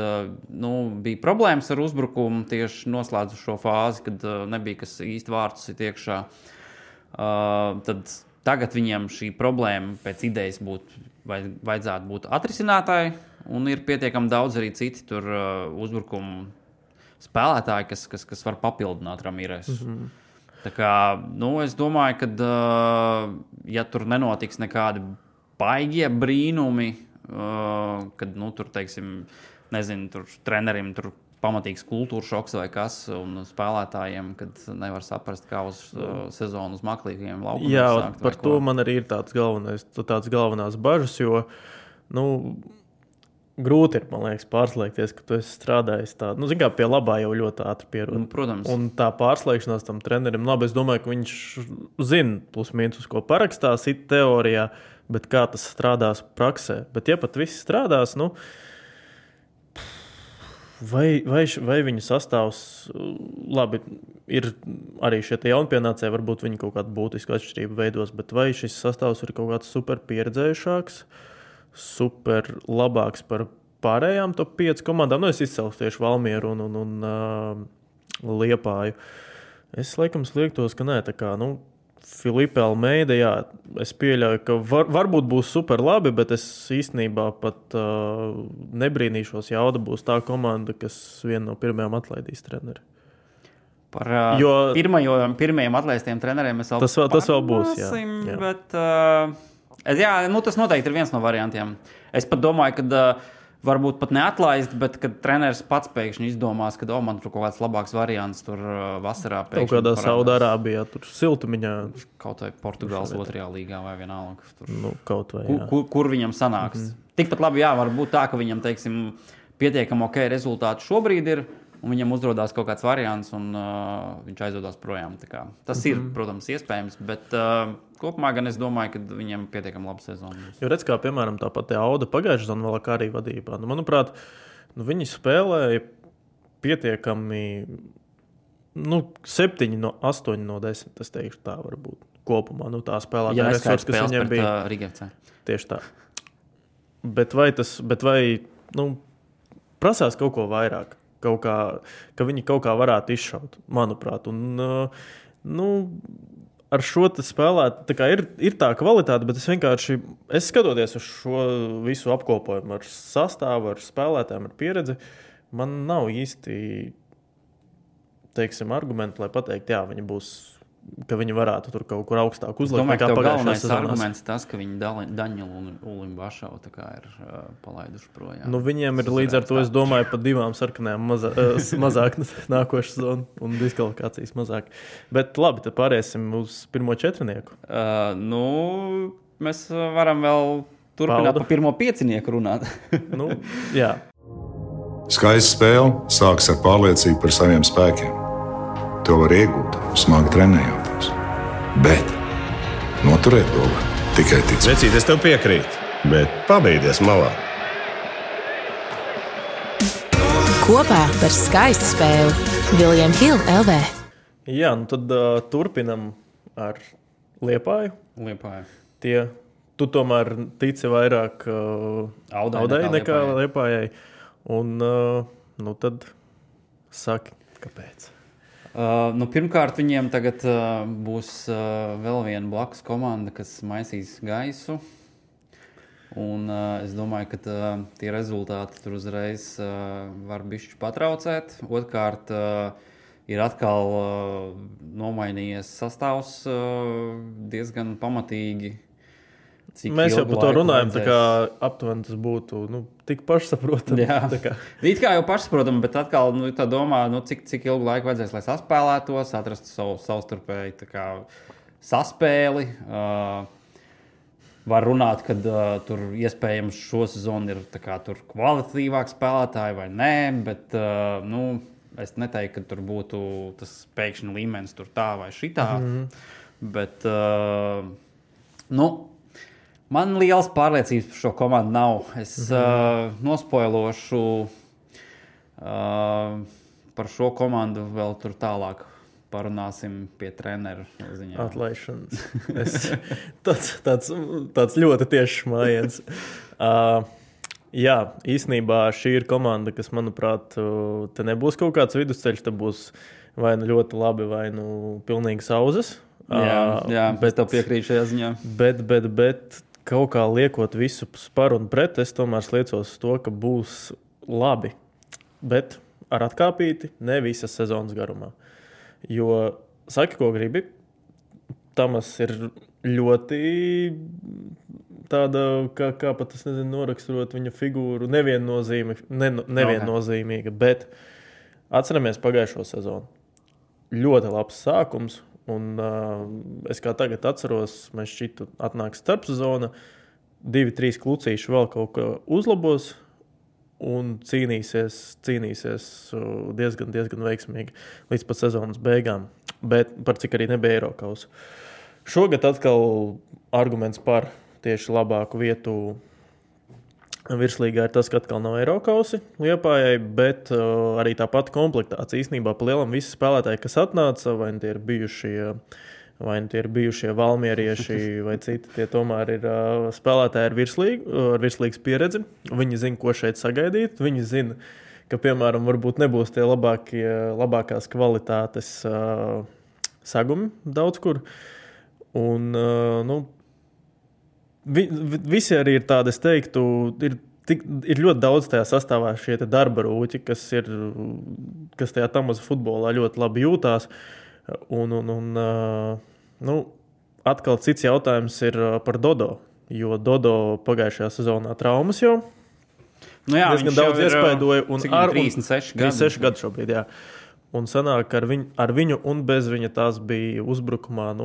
bija problēmas ar uzbrukumu, tieši noslēdzu šo fāzi, kad nebija kas īsti vārtus ir iekšā, tad tagad viņiem šī problēma pēc idejas vajadzētu būt atrisinātāji, un ir pietiekami daudz arī citi tur uzbrukumu spēlētāji, kas var papildināt Ramires. Tā kā, es domāju, ka, ja tur nenotiks nekādi baigie brīnumi, kad, tur, teiksim, nezinu, tur trenerim tur pamatīgs kultūra šoks vai kas, un spēlētājiem, kad nevar saprast, kā uz sezonu uz maklīgiem laukumiem sākt. Jā, par to man arī ir tāds galvenās bažas, jo, grūti ir, man liekas, pārslēgties, ka tu esi strādājis tādu. Zin kā, pie labā jau ļoti ātri pierod. Protams. Un tā pārslēgšanās tam trenerim, labi, es domāju, ka viņš zina plus mīnus, uz ko parakstās it teorijā, bet kā tas strādās praksē. Bet ja pat viss strādās, vai viņu sastāvs, labi, ir arī šie te jaunpienācēji, varbūt viņi kaut kādu būtisku atšķirību veidos, bet vai šis sastāvs ir kaut kāds super pieredzējušāks, super labāks par pārējām top 5 komandām. Es izcelšu tieši Valmieru un Liepāju. Es laikam sliektos, ka nē, tā kā, Filipe Almeida, jā, es pieļauju, ka varbūt būs super labi, bet es īstenībā pat nebrīnīšos, ja Auda būs tā komanda, kas viena no pirmajām atlaidīs treneri. Par pirmajiem atlaistiem treneriem mēs vēl tas vēl būs, jā. Bet... tas noteikti ir viens no variantiem. Es pat domāju, ka varbūt pat neatlaist, bet kad treneris pats pēkšņi izdomās, ka man tur kaut kāds labāks variants tur vasarā pēkšņi. Kaut kādā Saudārābijā, tur siltumiņā. Kaut vai Portugāles 2. līgā vai vienalga. Tur, kaut vai, jā. Kur viņam sanāks. Tikpat labi, jā, var būt tā, ka viņam, teiksim, pietiekami ok rezultāti šobrīd ir, un viņam uzrodās kaut kāds variants, un viņš aizvedās projām. Tā kā, tas ir, protams, iespējams, bet kopumā gan es domāju, ka viņam pietiekami laba sezona. Jo redz, kā, piemēram, tāpat Auda pagājušajā sezonā Valakārī vadībā. Manuprāt, viņi spēlēja pietiekami 7 no 8 no 10, es teikšu tā varbūt kopumā. Tā spēlētāja resursi, kas viņiem bija. Rigevcē. Tieši tā. Bet vai prasās kaut ko vairāk? Ka viņi kaut kā varētu izšaut, manuprāt. Un, ar šo spēlēt, tā kā ir tā kvalitāte, bet es skatoties uz šo visu apkopojumu ar sastāvu, ar spēlētājiem, ar pieredzi, man nav īsti, teiksim, argumenti, lai pateikt, jā, ka viņi varētu tur kaut kur augstāk uzlikt. Domāju, ka tev galvenais arguments tas, ka viņi Daņelu un Ulim Bašavu tā kā ir palaiduši projām. Viņiem ir līdz ar to, es domāju, pa 2 sarkanajām mazāk nākošu sezonu un diskvalifikācijas mazāk. Bet labi, tad pārēsim uz pirmo četrnieku. Mēs varam vēl turpināt pa pirmo piecinieku runāt. Jā. Skaista spēle sākas ar pārliecību par saviem spēkiem. To var iegūt, smagi trenējoties. Bet noturēt to var tikai ticēt. Vecīt, es tev piekrītu. Bet pabeigties malā. Kopā par skaistu spēli Viljams Hilde LV. Jā, nu tad turpinam ar Liepāju. Tu tomēr tici vairāk Audai nekā Liepājai. Un nu tad saki, kāpēc? Pirmkārt, viņiem tagad būs vēl viena blakus komanda, kas maisīs gaisu. Un es domāju, ka tie rezultāti tur uzreiz var bišķi patraucēt. Otrkārt, ir atkal nomainījies sastāvs diezgan pamatīgi. Mēs jau par to runājam, tā kā aptuveni tas būtu tik pašsaprotami. Jā, it kā jau pašsaprotami, bet atkal tā domā, cik ilgu laiku vajadzēs, lai saspēlētos, atrast savu savstarpēji saspēli. Var runāt, ka tur iespējams šo sezonu ir tur kvalitatīvāk spēlētāji vai nē, bet es neteiktu, ka tur būtu tas pēkšņi līmenis tur tā vai šitā. Bet, man liels pārliecības par šo komandu nav. Es nospoilošu par šo komandu vēl tur tālāk. Parunāsim pie treneru ziņā. Atlaišanas. Tāds ļoti tiešs mājiens. Jā, īstenībā šī ir komanda, kas, manuprāt, te nebūs kaut kāds vidusceļš, te būs vai nu ļoti labi, vai nu pilnīgi sauzes. Jā, bet tev piekrīt šajā ziņā. Bet kaut kā liekot visu par un pret, es tomēr sliecos to, ka būs labi. Bet ar atkāpīti ne visas sezonas garumā. Jo, saki, ko gribi, Tamas ir ļoti tāda, kā pat es nezinu, noraksturot viņa figūru, neviennozīmīga, bet atceramies pagājušo sezonu. Ļoti labs sākums, un es kā tagad atceros, mēs šķitu atnāks starpsezona, 2-3 klucīši vēl kaut ko uzlabos, un cīnīsies diezgan veiksmīgi līdz pat sezonas beigām. Bet par cik arī nebija Eirokausa. Šogad atkal arguments par tieši labāku vietu virslīgā ir tas, ka atkal nav Eirokausi Liepājai, bet arī tā pati komplektācija. Īstenībā pa lielam visi spēlētāji, kas atnāca, vai tie ir bijušie valmierieši vai citi, tie tomēr ir spēlētāji ar virslīgas pieredzi. Viņi zina, ko šeit sagaidīt. Viņi zina, ka, piemēram, varbūt nebūs tie labākās kvalitātes sagumi daudz kur. Un, visi arī ir tādi, es teiktu, ir ļoti daudz tajā sastāvā šie darba rūķi, kas tajā Tamaza futbolā ļoti labi jūtās. Atkal cits jautājums ir par Dodo, jo Dodo pagājušajā sezonā traumas jau. Diezgan daudz iespaidoja. 36 gadu šobrīd, jā. Un sanāk, ar viņu un bez viņa tās bija uzbrukumā,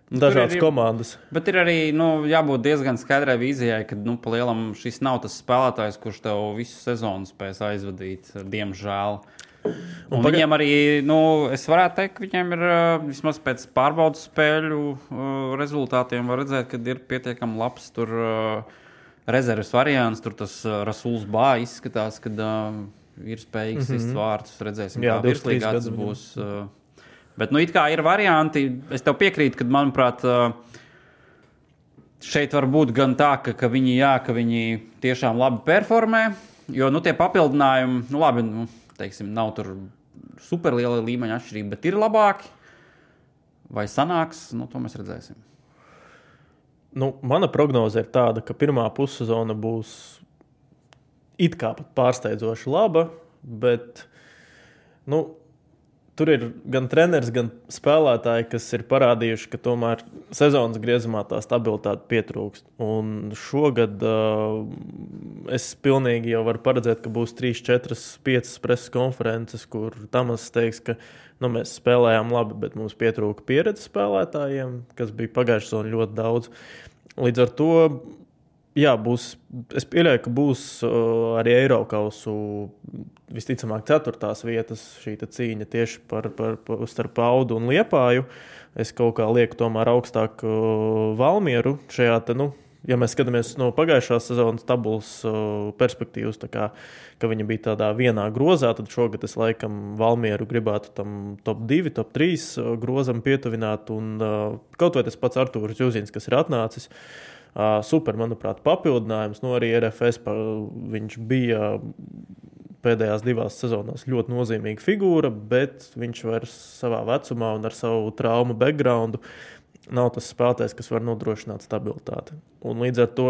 dažādas komandas. Bet ir arī jābūt diezgan skaidrai vīzijai, ka pa lielam šis nav tas spēlētājs, kurš tev visu sezonu spēs aizvadīt, diemžēl. Un viņiem arī, es varētu teikt, ka viņiem ir vismaz pēc pārbaudas spēļu rezultātiem var redzēt, ka ir pietiekami labs tur rezerves variants, tur tas Rasuls Bā izskatās, kad ir spējīgs sist vārtus, redzēsim, kā virslīgā tas būs. Bet, it kā ir varianti, es tev piekrītu, ka, manuprāt, šeit var būt gan tā, ka viņi tiešām labi performē, jo, tie papildinājumi, teiksim, nav tur superliela līmeņa atšķirība, bet ir labāki. Vai sanāks, to mēs redzēsim. Mana prognoze ir tāda, ka pirmā pussezona būs it kā pat pārsteidzoši laba, bet, tur ir gan treneris, gan spēlētāji, kas ir parādījuši, ka tomēr sezonas griezumā tā stabilitāte pietrūkst. Un šogad es pilnīgi jau varu paredzēt, ka būs 3, 4, 5 preses konferences, kur Tamas teiks, ka mēs spēlējām labi, bet mums pietrūka pieredze spēlētājiem, kas bija pagājušajā sezonā ļoti daudz. Līdz ar to, jā, es pieļauju, ka būs arī Eirokausu visticamāk 4. vietas šī cīņa tieši starp Audu un Liepāju. Es kaut kā lieku tomēr augstāk Valmieru šajā ja mēs skatāmies no pagājušās sezonas tabulas perspektīvas, tā kā, ka viņa bija tādā vienā grozā, tad šogad es laikam Valmieru gribētu tam top 2, top 3 grozam pietuvināt, un kaut vai tas pats Artūrs Jūzins, kas ir atnācis, super, manuprāt, papildinājums, arī RFS viņš bija pēdējās 2 sezonās ļoti nozīmīga figūra, bet viņš vairs savā vecumā un ar savu traumu backgroundu nav tas spēlētājs, kas var nodrošināt stabilitāti. Un līdz ar to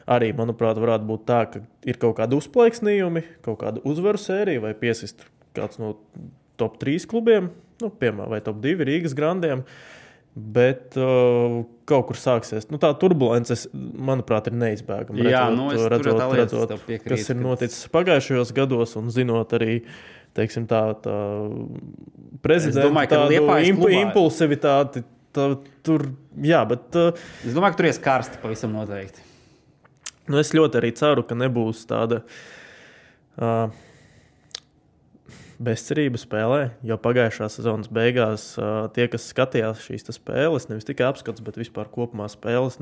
arī, manuprāt, varētu būt tā, ka ir kaut kādi uzplaiksnījumi, kaut kāda uzvaru sērija vai piesist kāds no top 3 klubiem, piemēram, vai top 2 Rīgas grandiem, bet kaut kur sāksies. Tā turbulences, manuprāt, ir neizbēgama. Redzot, kas ir noticis pagājušajos gados un zinot arī, teiksim, tā prezidenta tādu impulsivitāti. Tur, jā, bet... Es domāju, ka tur ies karsti pavisam noteikti. Es ļoti arī ceru, ka nebūs tāda bezcerība spēlē, jo pagājušā sezonas beigās tie, kas skatījās šīs spēles, nevis tikai apskats, bet vispār kopumā spēles,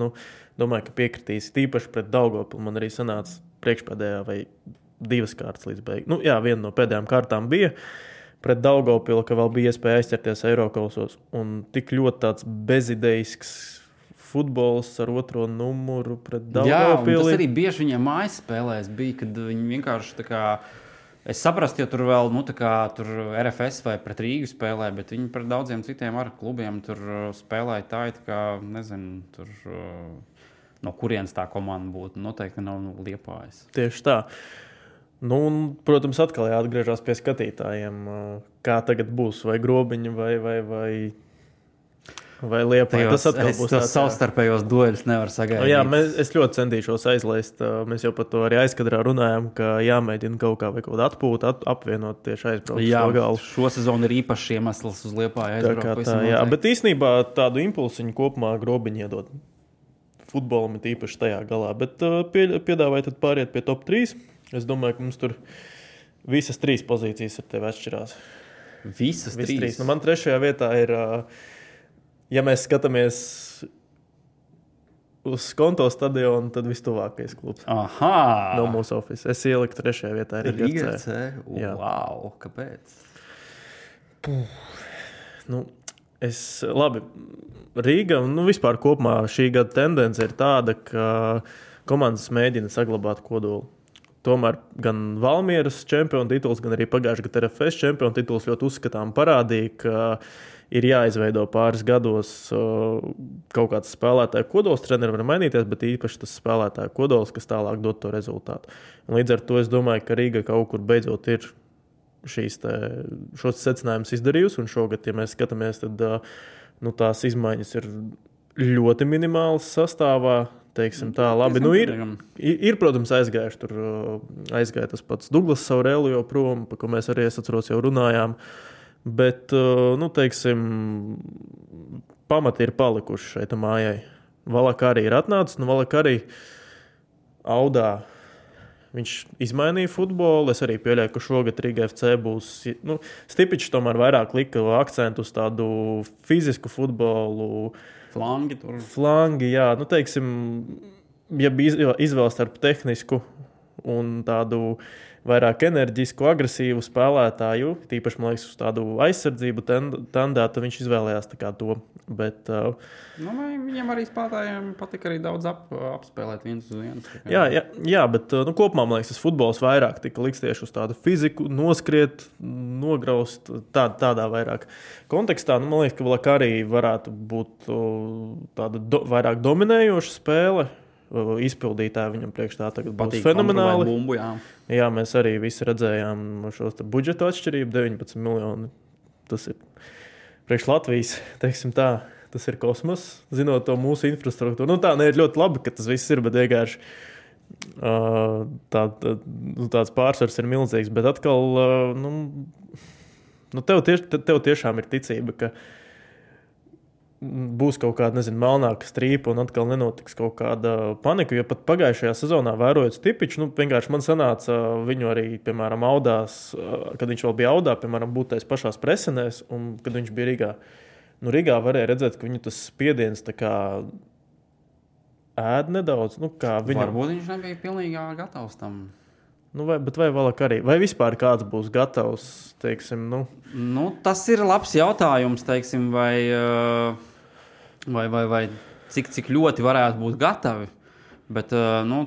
domāju, ka piekritīs tīpaši pret Daugavpili. Man arī sanāca priekšpēdējā vai 2 kārtas līdz beigām. Jā, viena no pēdējām kārtām bija pret Daugavpili, ka vēl bija iespēja aizķerties Eirokausos. Un tik ļoti tāds bezidejisks futbols ar 2. numuru pret Daugavpili. Jā, un tas arī bieži viņiem mājas spēlēs bija, kad viņi vienkārši tā kā... Es saprastu, ja tur vēl, tur RFS vai pret Rīgu spēlē, bet viņi pret daudziem citiem ar klubiem tur spēlēja tā, kā, nezinu, tur no kurienes tā komanda būtu. Noteikti nav Liepājas. Tieši tā. Un, protams, atkal jāatgriežas pie skatītājiem, kā tagad būs, vai Grobiņa, vai Liepāja. Tas atkal būs tāds savstarpējos dueļus nevar sagaidīt. Es ļoti centīšos aizlaist. Mēs jau par to arī aizkadrā runājām, ka jāmēģina kaut kā vai kaut kādu atpūtu, apvienot tieši aizbraukt uz galu. Šo sezonu ir īpašs iemesls uz Liepāju aizbraukt. Bet īstenībā tādu impulsiņu kopumā Grobiņa iedod futbolam, ir īpaši tajā galā. Bet piedāvāju tad pāriet pie top 3. Es domāju, ka mums tur visas 3 pozīcijas ar tevi atšķirās. Visas 3? Man 3. vietā ir, ja mēs skatāmies uz Konto stadionu, tad vistuvākais klubs. Aha! No mūsu office. Es ieliku 3. vietā Riga FC. Wow, kāpēc? Labi, Rīga, vispār kopumā šī gada tendence ir tāda, ka komandas mēģina saglabāt kodolu. Tomēr gan Valmieras čempionu tituls, gan arī pagājušā gada RFS čempionu tituls ļoti uzskatām parādīja, ka ir jāizveido pāris gados kaut kāds spēlētāju kodols. Treneri var mainīties, bet īpaši tas spēlētāju kodols, kas tālāk dod to rezultātu. Un līdz ar to es domāju, ka Rīga kaut kur beidzot ir šos secinājumus izdarījusi. Un šogad, ja mēs skatāmies, tad tās izmaiņas ir ļoti minimālas sastāvā. Teiksim tā, labi. Ir, protams, aizgāja tas pats Douglas Saurēlu prom, par ko mēs arī, es atceros, jau runājām. Bet, teiksim, pamati ir palikuši šeit mājai. Valaka arī ir atnācis, Valaka arī Audā. Viņš izmainīja futbolu. Es arī pieļauju, ka šogad Riga FC būs... Stipičs tomēr vairāk lika akcentu uz tādu fizisku futbolu. Flangi, jā. Teiksim, ja bija izvēle starp tehnisku un tādu vairāk enerģisku, agresīvu spēlētāju, tīpaši, man liekas, uz tādu aizsardzību tendētu, viņš izvēlējās tā kā to. Bet, viņam arī spēlētājiem patika arī daudz apspēlēt viens uz viens. Jā, bet kopumā, man liekas, tas futbols vairāk tika liks tieši uz tādu fiziku, noskriet, nograust, tādā vairāk kontekstā. Man liekas, ka Valaka arī varētu būt tāda vairāk dominējoša spēle. Izpildītāji viņam priekš tā tagad būs fenomenāli. Bumbu, jā, mēs arī visi redzējām šos budžeta atšķirību, 19 miljoni. Tas ir priekš Latvijas, teiksim tā, tas ir kosmos, zinot to mūsu infrastruktūru. Tā ne ir ļoti labi, ka tas viss ir, bet vienkārši tāds pārsvars ir milzīgs. Bet atkal, tev tiešām ir ticība, ka būs kaut kāda, melnāka strīpa un atkal nenotiks kaut kāda panika, jo pat pagājušajā sezonā vērojot Stipiču, vienkārši man sanāca viņu arī, piemēram, Audās, kad viņš vēl bija Audā, piemēram, būt tais pašās presenēs, un kad viņš bija Rīgā. Rīgā varēja redzēt, ka viņu tas spiediens tā kā ēd nedaudz. Varbūt viņš nebija pilnīgi gatavs tam. Vai vēlāk arī? Vai vispār kāds būs gatavs, teiksim, tas ir labs jautājums, teiksim, vai cik ļoti varētu būt gatavi. Bet,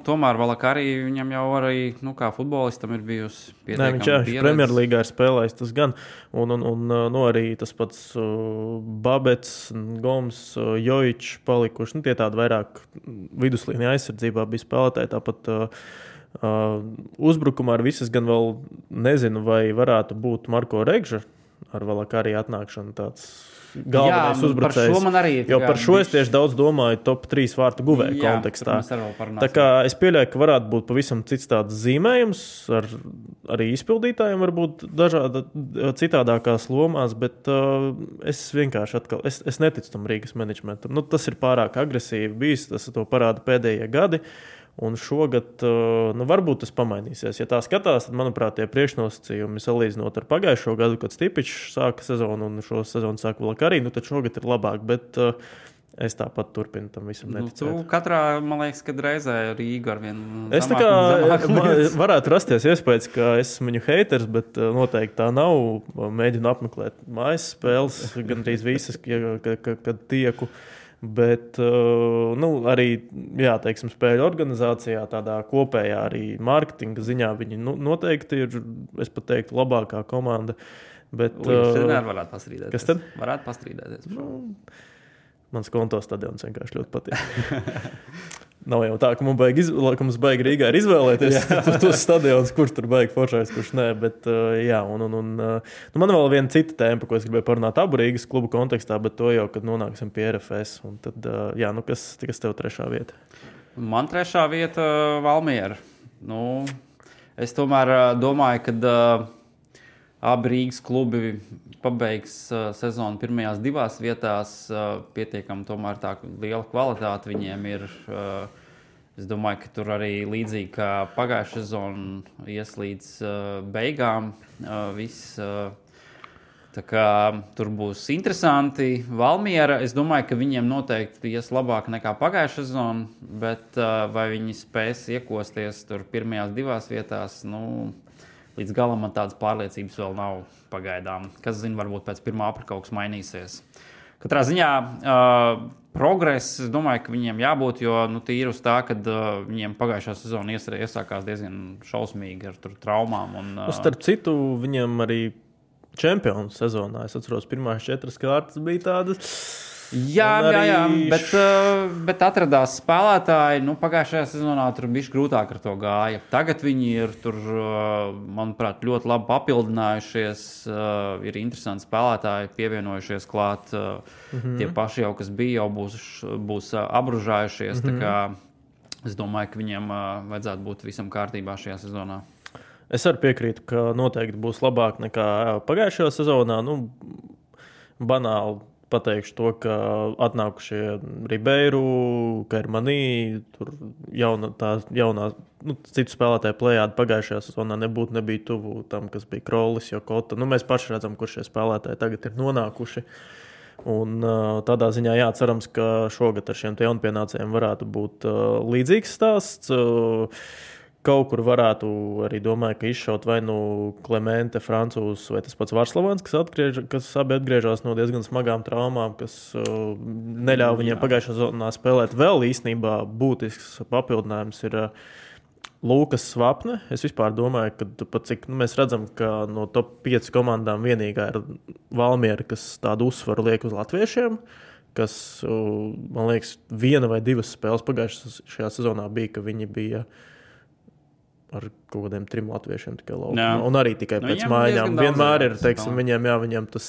tomēr vēlāk arī viņam jau arī, kā futbolistam ir bijusi pietiekama pieredze. Viņš Premjerlīgā ir spēlējis tas gan. Un arī tas pats Babets, Goms, Jojičs palikuši. Tie tādi vairāk viduslīnija aizsardzībā bija spēlētāji. Tāpat uzbrukumā ar visas gan vēl nezinu, vai varētu būt Marko Regža ar vēlāk arī atnākšanu tāds galvenais uzbrucējs. Par šo man arī ir. Jo par šo es tieši daudz domāju top 3 vārtu guvēju kontekstā. Tā kā es pieļauju, ka varētu būt pavisam cits tāds zīmējums ar arī izpildītājiem varbūt dažāda citādākās lomās, bet es vienkārši atkal, es neticu tam Rīgas menedžmentam. Tas ir pārāk agresīvi bijis, tas to parāda pēdējie gadi. Un šogad, varbūt tas pamainīsies. Ja tā skatās, tad, manuprāt, tie priekšnosacījumi salīdzinot ar pagājušo gadu, kad Stipičs sāka sezonu un šo sezonu sāka vēl arī, tad šogad ir labāk, bet es tāpat turpinu tam visam neticēt. Tu katrā, man liekas, kad reizē Rīga ar vienu es tā kā varētu rasties iespējas, ka esmu viņu haters, bet noteikti tā nav. Mēģinu apmeklēt mājas spēles, gandrīz visas, kad tieku. Bet arī teiksim, spēļu organizācijā, tādā kopējā arī mārketinga ziņā viņi noteikti ir, es pat teiktu, labākā komanda. Bet varētu pastrīdēties. Kas tad? Varētu pastrīdēties. Mans konto stadions vienkārši ļoti patīk. Nav jau tā, ka mums baigi Rīgā ir izvēlēties tos stadionus, kurš tur baigi foršais, kurš nē. Bet, man vēl viena cita tēma, ko es gribēju parunāt abu Rīgas klubu kontekstā, bet to jau, kad nonāksim pie RFS. Un tad, kas tev trešā vieta? Man trešā vieta Valmiera. Es tomēr domāju, ka abi Rīgas klubi pabeigs sezonu pirmajās divās vietās. Pietiekami tomēr tā liela kvalitāte viņiem ir. Es domāju, ka tur arī līdzīgi kā pagājušā sezona ies līdz beigām. Viss. Tā kā tur būs interesanti. Valmiera, es domāju, ka viņiem noteikti ies labāk nekā pagājušā sezona, bet vai viņi spēs iekosties tur pirmajās divās vietās, līdz galam man tādas pārliecības vēl nav pagaidām. Kas zina, varbūt pēc 1. aprīļa kaut kas mainīsies. Katrā ziņā progress, es domāju, ka viņiem jābūt, jo tīri uz tā, kad viņiem pagājušā sezona iesākās diezgan šausmīgi ar traumām. Starp citu, viņiem arī čempionu sezonā, es atceros, pirmās 4 kārtas bija tādas. Jā, bet atradās spēlētāji. Pagājušajā sezonā tur bija grūtāk ar to gāja. Tagad viņi ir tur, manuprāt, ļoti labi papildinājušies. Ir interesanti spēlētāji pievienojušies klāt. Tie paši jau, kas bija, jau būs apbružājušies. Tā kā es domāju, ka viņiem vajadzētu būt visam kārtībā šajā sezonā. Es arī piekrītu, ka noteikti būs labāk nekā pagājušajā sezonā. Banāli pateikšu to, ka atnākušie Ribeiru, Kermanī, tur jaunā citu spēlētāju plējādi pagājušajā sezonā nebija tuvu tam, kas bija Krolis, Jokota. Mēs paši redzam, kur šie spēlētāji tagad ir nonākuši. Un tādā ziņā cerams, ka šogad ar šiem jaunpienācējiem varētu būt līdzīgs stāsts. Kaut kur varētu arī domāju, ka izšaut vai Klemente, Francūzs vai tas pats Varslavans, kas abi atgriežas no diezgan smagām traumām, kas neļauj viņiem pagājušā sezonā spēlēt. Vēl īstenībā būtisks papildinājums ir Lūkas Svapne. Es vispār domāju, ka pat cik mēs redzam, ka no top 5 komandām vienīgā ir Valmiera, kas tādu uzsvaru liek uz latviešiem, kas, man liekas, 1 vai 2 spēles pagājušajā sezonā bija, ka viņi bija ar kaut kādiem 3 latviešiem tikai laukumā. Un arī tikai pēc maiņām. Vienmēr ir, viņiem tas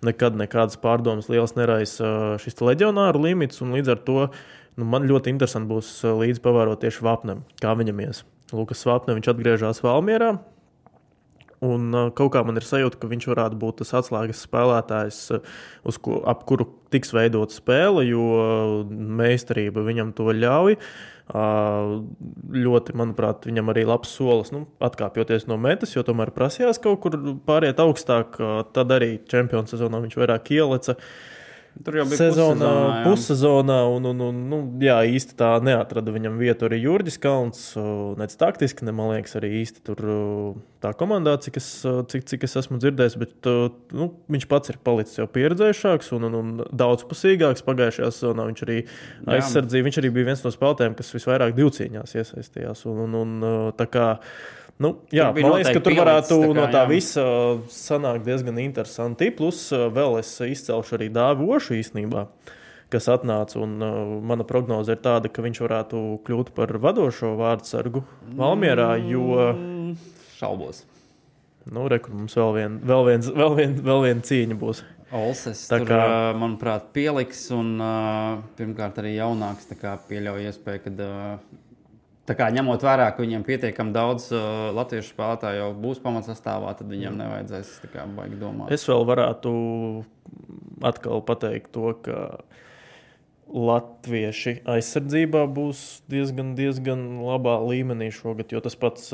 nekādas pārdomas liels neraisa šis leģionāru limits, un līdz ar to man ļoti interesanti būs līdz pavērot tieši Vapnem, kā viņam ies. Lukas Svapne, viņš atgriežās Valmierā, un kaut kā man ir sajūta, ka viņš varētu būt tas atslēgas spēlētājs, ap kuru tiks veidot spēle, jo meistarība viņam to ļauj. Ļoti, manuprāt, viņam arī labs solis, atkāpjoties no metas, jo tomēr prasījās kaut kur pāriet augstāk, tad arī čempionu sezonā viņš vairāk ieleca. Tur jau bija pussezonā, jā, īsti tā neatrada viņam vietu arī Jurģis Kalns, nec taktiski, ne, man liekas, arī īsti tur tā komandā, cik es esmu dzirdējis, bet viņš pats ir palicis jau pieredzējušāks un daudzpusīgāks. Pagājušajā sezonā viņš arī aizsardzīja, viņš arī bija viens no spēlētājiem, kas visvairāk divcīņās iesaistījās, tā kā jā, man liekas, ka tur varētu no tā visa sanākt diezgan interesanti. Plus vēl es izcelšu arī Dāvi Ošu īstenībā, kas atnāca, un mana prognoze ir tāda, ka viņš varētu kļūt par vadošo vārdsargu Valmierā, jo... Šaubos. Rekur, mums vēl viena cīņa būs. Olses tur, manuprāt, pieliks, un pirmkārt arī jaunāks, tā kā pieļauj iespēju, kad... Tā kā ņemot vērā, ka viņiem pietiekami daudz latviešu spēlētāju jau būs pamatsastāvā, tad viņiem nevajadzēs tā kā baigi domāt. Es vēl varētu atkal pateikt to, ka latvieši aizsardzībā būs diezgan labā līmenī šogad, jo tas pats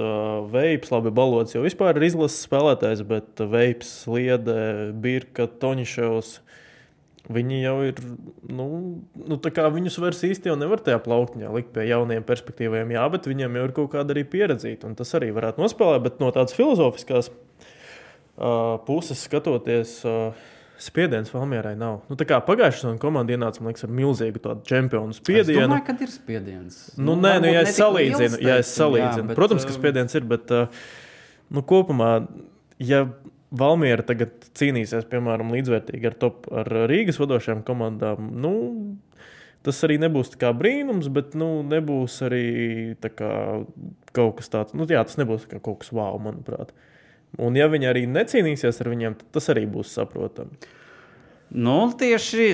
Veips, labi, Balots jau vispār ir izlases spēlētājs, bet Veips, Liede, Birka, Toņiševs, viņi jau ir, tā kā viņus vairs īsti jau nevar tajā plauktiņā likt pie jauniem perspektīviem, jā, bet viņiem jau ir kaut kāda arī pieredzīta, un tas arī varētu nospēlēt, bet no tādas filozofiskās puses skatoties, spiediens Valmierai nav. Tā kā pagājušajā sezonā komanda ienāca, man liekas, ar milzīgu tādu čempionu spiedienu. Es domāju, kad ir spiediens. Ja es salīdzinu. Protams, ka spiediens ir, bet kopumā, ja Valmiera tagad cīnīsies, piemēram, līdzvērtīgi ar Rīgas vadošajām komandām, tas arī nebūs tā kā brīnums, bet, nebūs arī tā kā kaut kas tāds, tas nebūs kā kaut kas wow, manuprāt. Un ja viņi arī necīnīsies ar viņiem, tad tas arī būs saprotami. Tieši,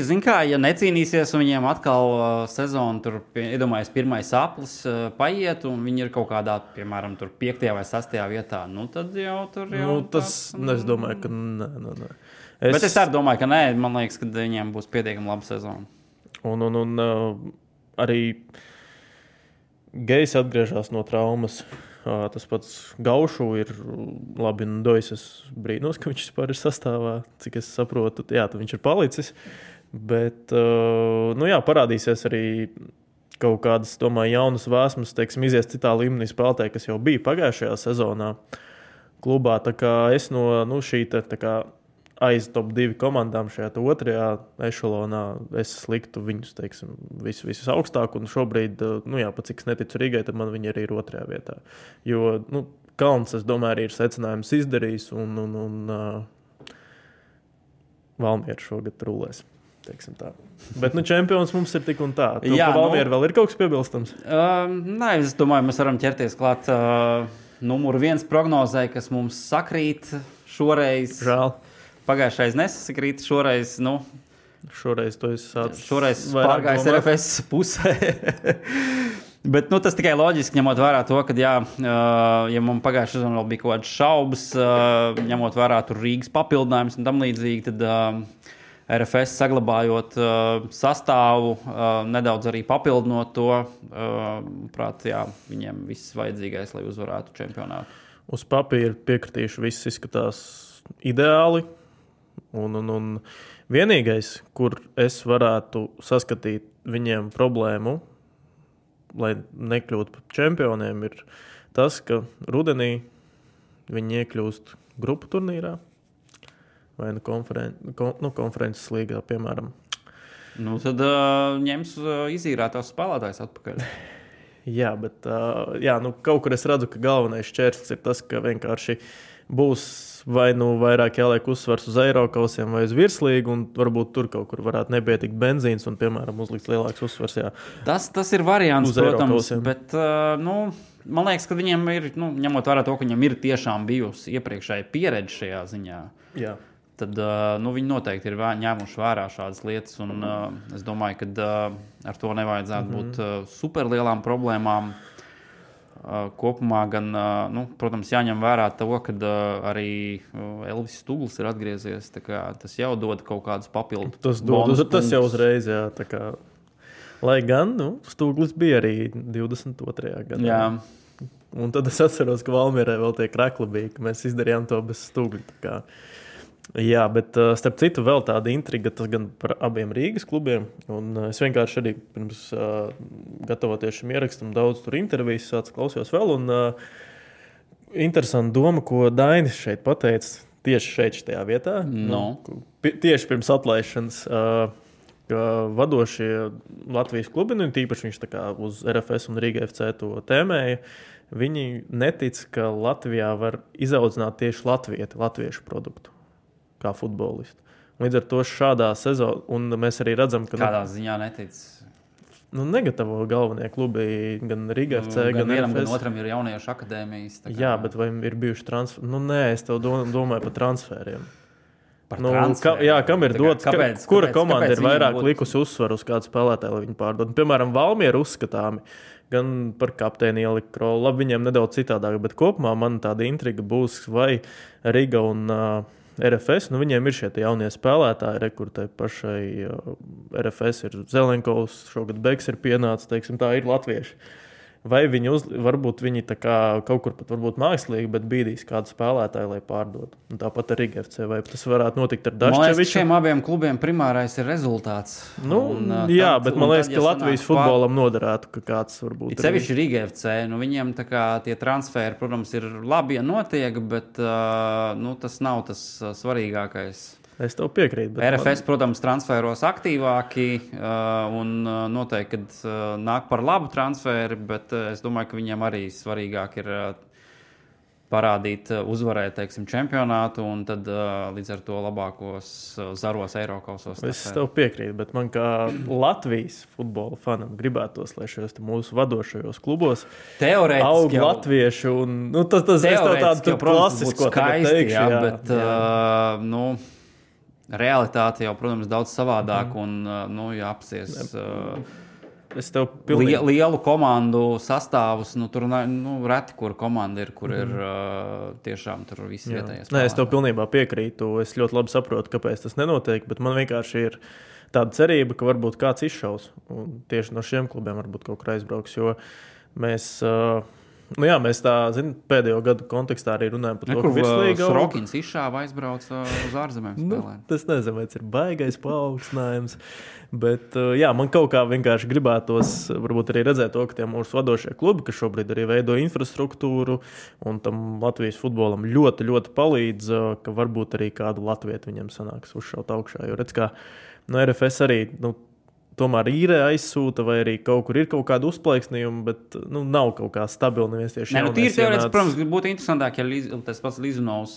ja necīnīsies un viņiem atkal sezonu, tur, iedomājies, pirmais aplis paiet, un viņi ir kaut kādā, piemēram, tur 5. vai 6. vietā, tad jau tur jau... Es domāju, ka nē. Bet es arī domāju, ka nē, man liekas, ka viņiem būs pietiekami laba sezona. Un arī Gejs atgriežas no traumas. Tas pats Gaušu ir labi, Dojas brīnos, ka viņš vispār ir sastāvā, cik es saprotu, tad viņš ir palicis, bet, parādīsies arī kaut kādas, domāju, jaunas vēsmas, izies citā līmenī spēlētāji, kas jau bija pagājušajā sezonā klubā, tā kā es no šī aiz top 2 komandām šajā 2. ešalonā es liktu viņus, visus augstāk, un šobrīd, pat cik es neticu Rīgai, tad man viņi arī ir 2. vietā. Jo, Kalns, es domāju, arī ir secinājums izdarījis, un Valmiera šogad rulēs, teiksim tā. Bet, čempions mums ir tik un tā. Valmiera vēl ir kaut kas piebilstams? Nē, es domāju, mēs varam ķerties klāt numuru 1 prognozē, kas mums sakrīt šoreiz. Žēl. Pagājušais nesakrīt, šoreiz, Šoreiz to es sācu. Šoreiz pārgājis RFS pusē. Bet, tas tikai loģiski, ņemot vērā to, ka, ja mums pagājušajā sezonā vēl bija kaut kādas šaubas, ņemot vērā tur Rīgas papildinājums un tam līdzīgi, tad RFS saglabājot sastāvu, nedaudz arī papildinot to, prāt, viņiem viss vajadzīgais, lai uzvarētu čempionātu. Uz papīra piekritīšu, viss izskatās ideāli. Un vienīgais, kur es varētu saskatīt viņiem problēmu, lai nekļūtu par čempioniem, ir tas, ka rudenī viņi iekļūst grupu turnīrā vai konferences līgā, piemēram. Tad ņems izīrētās spēlētājs atpakaļ. Jā, bet kaut kur es redzu, ka galvenais šķērslis ir tas, ka vienkārši būs vai vairāk jāliek uzsvars uz Eirokausiem vai uz virslīgu, un varbūt tur kaut kur varētu nepietikt benzīns un, piemēram, uzlikt lielāks uzsvars. Tas ir variants, protams, bet, man liekas, ka viņiem ir, ņemot vērā to, ka viņam ir tiešām bijusi iepriekšēja pieredze šajā ziņā, tad, viņi noteikti ir ņēmuši vērā šādas lietas, un es domāju, ka ar to nevajadzētu būt superlielām problēmām. Kopumā gan, protams, jāņem vērā to, ka arī Elvis Stuglis ir atgriezies, tā kā tas jau dod kaut kādus papildu. Tas jau uzreiz, jā, tā kā, lai gan, Stuglis bija arī 22. gadā. Jā. Un tad es atceros, ka Valmierai vēl tie krekli bija, ka mēs izdarījām to bez Stugļa, tā kā. Jā, bet starp citu vēl tāda intriga, tas gan par abiem Rīgas klubiem. Un es vienkārši arī pirms gatavoties šim ierakstam daudz tur intervijas klausījos vēl. Un interesanta doma, ko Dainis šeit pateica, tieši šajā vietā. Tieši pirms atlaišanas, ka vadošie Latvijas klubi, un tīpaši viņš tā kā uz RFS un Rīga FC to tēmēja, viņi netic, ka Latvijā var izaudzināt tieši latviešu produktu. Kā futbolistu. Līdz ar to šādā sezonā, un mēs arī redzam, ka... Kādā ziņā netic? Negatavo galvenie klubi, gan Rīga FC, gan vienam, RFS. Gan otram ir jauniešu akadēmijas. Jā, bet vai ir bijuši transferi? Nē, es tev domāju par transferiem. Kam ir dots? Kura komanda ir vairāk likusi uzsvaru uz kādu spēlētāju, lai viņu pārdod? Piemēram, Valmiera uzskatāmi. Gan par kapteini ielikt Krolu. Labi, viņiem nedaudz citādāk, bet kopumā man tāda intriga būs, vai Riga un RFS, viņiem ir šie jaunie spēlētāji, kur tai pašai RFS ir Zelenkovs, šogad Beks ir pienācis, teiksim, tā ir latvieši. Vai varbūt viņi tā kā kaut kur pat varbūt mākslīgi, bet bīdīs kādu spēlētāju, lai pārdod. Un tāpat ar Riga FC, vai tas varētu notikt ar Daščeviču? Man liekas, šiem abiem klubiem primārais ir rezultāts. Bet man liekas, ka Latvijas futbolam noderētu, ka kāds varbūt... Sevišķi Riga FC, viņiem tā kā tie transferi, protams, ir labi, ja notiek, bet tas nav tas svarīgākais. Es tev piekrītu. RFS, protams, transferos aktīvāki un noteikti, kad nāk par labu transferi, bet es domāju, ka viņiem arī svarīgāk ir parādīt, uzvarēt, teiksim, čempionātu un tad līdz ar to labākos zaros Eirokausos. Es tev piekrītu, bet man kā Latvijas futbola fanam gribētos, lai šajos mūsu vadošajos klubos aug latvieši un tas es tev tādu klasisko tagad teikšu. Jā, bet realitāte jau, protams, daudz savādāk un jāapsies lielu komandu sastāvus. Tur reti, kur komanda ir, kur ir tiešām tur visi vietējais. Nē, es tev pilnībā piekrītu. Es ļoti labi saprotu, kāpēc tas nenotiek, bet man vienkārši ir tāda cerība, ka varbūt kāds izšaus. Un tieši no šiem klubiem varbūt kaut kur aizbrauks, jo mēs... mēs tā, pēdējo gadu kontekstā arī runājam par to, ka virslīga... Srokins izšāva aizbrauc uz ārzemēm spēlēt. Tas nezinu, vai tas ir baigais paaugstinājums, bet man kaut kā vienkārši gribētos varbūt arī redzēt to, ka tie mūsu vadošie klubi, kas šobrīd arī veido infrastruktūru un tam Latvijas futbolam ļoti, ļoti palīdz, ka varbūt arī kādu latvietu viņam sanāks uzšaut augšā, jo redz, kā RFS arī... tomēr īrē aizsūta, vai arī kaut kur ir kaut kāda uzplaiksnījuma, bet nav kaut kā stabila neviens tieši jaunais. Tīri teorētiski, protams, būtu interesantāk, ja tas pats Lizunovs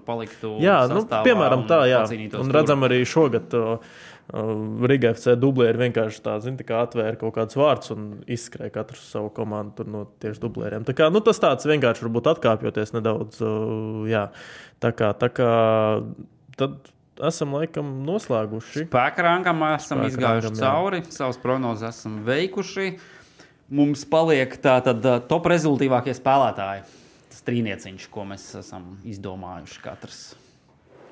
paliktu sastāvā. Piemēram tā, jā. Un redzam arī šogad Riga FC dublēri vienkārši tā kā atvēra kaut kādus vārdus un izskrēja katru savu komandu tur no tieši dublēriem. Tā kā, tas tāds vienkārši varbūt atkāpjoties nedaudz, tā kā tad esam laikam noslēguši. Spēka rangam esam izgājuši cauri, savas prognozes esam veikuši. Mums paliek tātad top rezultīvākie spēlētāji. Tas trīnieciņš, ko mēs esam izdomājuši katrs.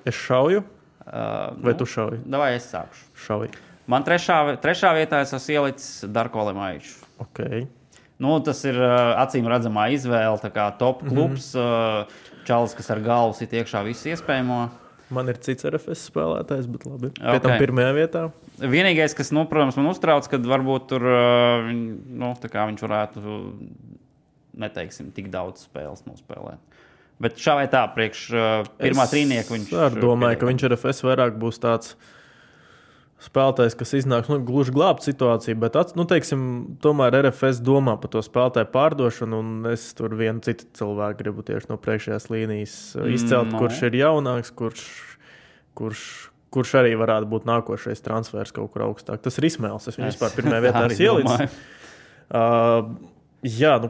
Es šauju? Vai tu šauji? Davai es sākšu. Šauji. Man trešā vietā es esmu ielicis Darko Lemaiču. Okay. Tas ir acīm redzamā izvēle, tā kā top klubs, čalis, kas ar galvu sit iekšā visu iespējamo. Man ir cits RFS spēlētājs, bet labi. Pie tam pirmajā vietā. Vienīgais, kas, protams, man uztrauc, kad varbūt tur tā kā viņš varētu, neteiksim, tik daudz spēles nospēlēt. Bet šā vai tā, priekš pirmā trīnieka viņš... Es domāju, ka viņš RFS vairāk būs tāds spēlētājs, kas iznāks gluži glābt situāciju, bet teiksim, tomēr RFS domā par to spēlētāju pārdošanu, un es tur vienu citu cilvēku gribu tieši no priekšējās līnijas izcelt, kurš ir jaunāks, kurš arī varētu būt nākošais transfers kaut kur augstāk. Tas ir Ismails, es viņu vispār pirmajā vietā ielicis.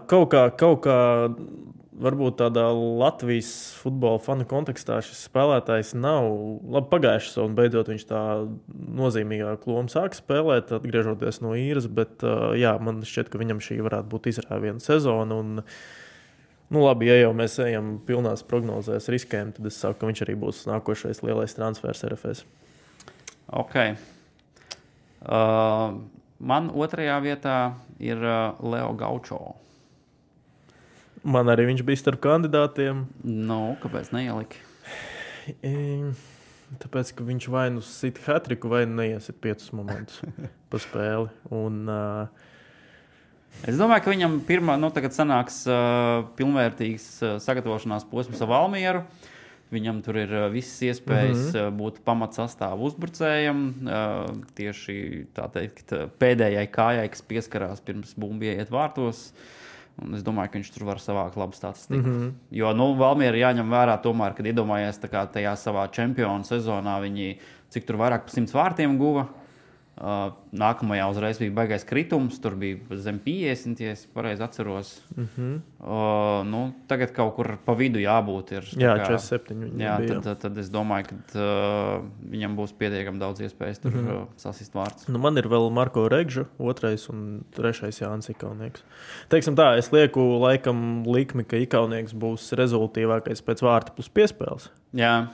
Kaut kā varbūt tādā Latvijas futbola fanu kontekstā šis spēlētājs nav labi pagājuši savu, un beidzot viņš tā nozīmīgā lomu sāk spēlēt, atgriežoties no īres, bet man šķiet, ka viņam šī varētu būt izrāviena sezona, un labi, ja jau mēs ejam pilnās prognozēs riskējam, tad es saku, ka viņš arī būs nākošais lielais transfers RFS. Ok. Man otrajā vietā ir Leo Gaučo. Man arī viņš bija starp kandidātiem. Kāpēc neieliki? Tāpēc, ka viņš vai nu sit hat-triku, vai neiesit 5 momentus pa spēli. Un, es domāju, ka viņam tagad sanāks pilnvērtīgs sagatavošanās posms ar Valmieru. Viņam tur ir visas iespējas būt pamatsastāvu uzbrucējam. Tieši tā teikt, pēdējai kājai, kas pieskarās pirms bumba ieiet vārtos. Un es domāju, ka viņš tur var savākt labu statistiku. Jo Valmiera jāņem vērā tomēr, kad iedomājies tajā savā čempionu sezonā, viņi cik tur vairāk pa 100 vārtiem guva. Nākamajā uzreiz bija baigais kritums, tur bija zem 50, ja es pareizi atceros. Tagad kaut kur pa vidu jābūt. Jā, 47 jā, tad es domāju, ka viņam būs pietiekami daudz iespējas tur sasist vārds. Man ir vēl Marko Regža, 2. un 3. Jānis Ikaunieks. Teiksim tā, es lieku laikam likmi, ka Ikaunieks būs rezultīvākais pēc vārta plus piespēles. Jā.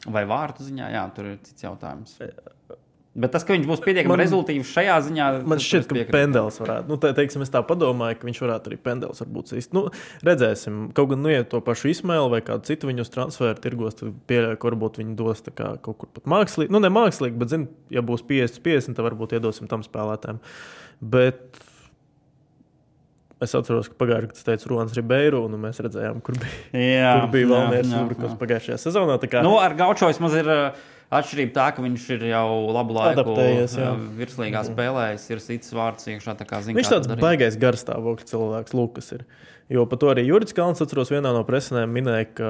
Vai vārtu ziņā? Jā, tur ir cits jautājums. Bet tas, ka viņš būs pietiekami rezultīvs šajā ziņā... Man šķiet, ka Pendels varētu. Teiksim, es tā padomāju, ka viņš varētu arī Pendels varbūt sist. Redzēsim. Kaut gan iet to pašu Ismailu vai kādu citu viņu uz transferu tirgos, tad pieļauju, ka varbūt viņi dos tā kā kaut kur pat mākslīgi. Ne mākslīgi, bet, ja būs 50-50, tad varbūt iedosim tam spēlētājiem. Bet... Es atceros, ka pagājušajā gadā teica Ruans Ribeiro, un mēs redzējām, kur bija Valmieras uzbrukums pagājušajā sezonā. Ar Gaučo vismaz ir atšķirība tā, ka viņš ir jau labu laiku virslīgā spēlējis, ir cits vārds iekšā. Viņš tāds baigais garstāvokļa cilvēks, Lukas ir. Jo par to arī Juris Kalns, atceros, vienā no presinēm minēja, ka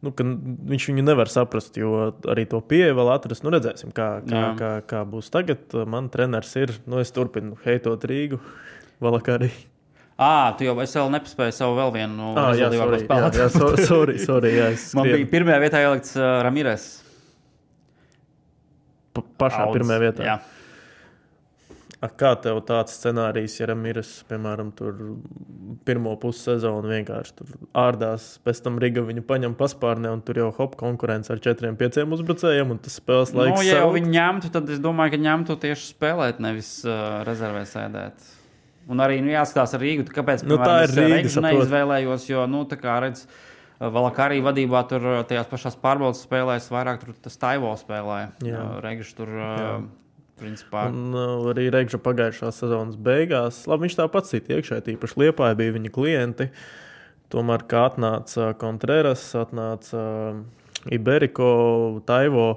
viņš viņu nevar saprast, jo arī to pieeja vēl atrast. Redzēsim, kā būs tagad. Man treneris ir, es turpinu heitot Rīgu, Valakārī. Tu jau es vēl nepaspēju savu vēl vienu rezultīvāko spēlēt. Sorry, man bija pirmajā vietā ielikts Ramires. Pašā pirmajā vietā? Jā. Kā tev tāds scenārijs, ja Ramires, piemēram, tur pirmo pussezonu vienkārši tur ārdās, pēc tam Riga viņu paņem paspārnē un tur jau konkurence ar 4-5 uzbrucējiem un tas spēles laiks ja jau viņi ņemtu, tad es domāju, ka ņemtu tieši spēlēt, nevis rezervē sēdēt. Un arī jāskatās ar Rīgu, kāpēc es Regžu neizvēlējos, jo, tā kā redz, Valakārī vadībā tur tajās pašās pārbaudas spēlēs, vairāk tur tas Taivo spēlēja. Regžu tur, principā. Un arī Regža pagājušā sezonas beigās, labi, viņš tāpat cita iekšē, tīpaši Liepāja bija viņa klienti, tomēr, kā atnāca Contreras, atnāca Iberico, Taivo,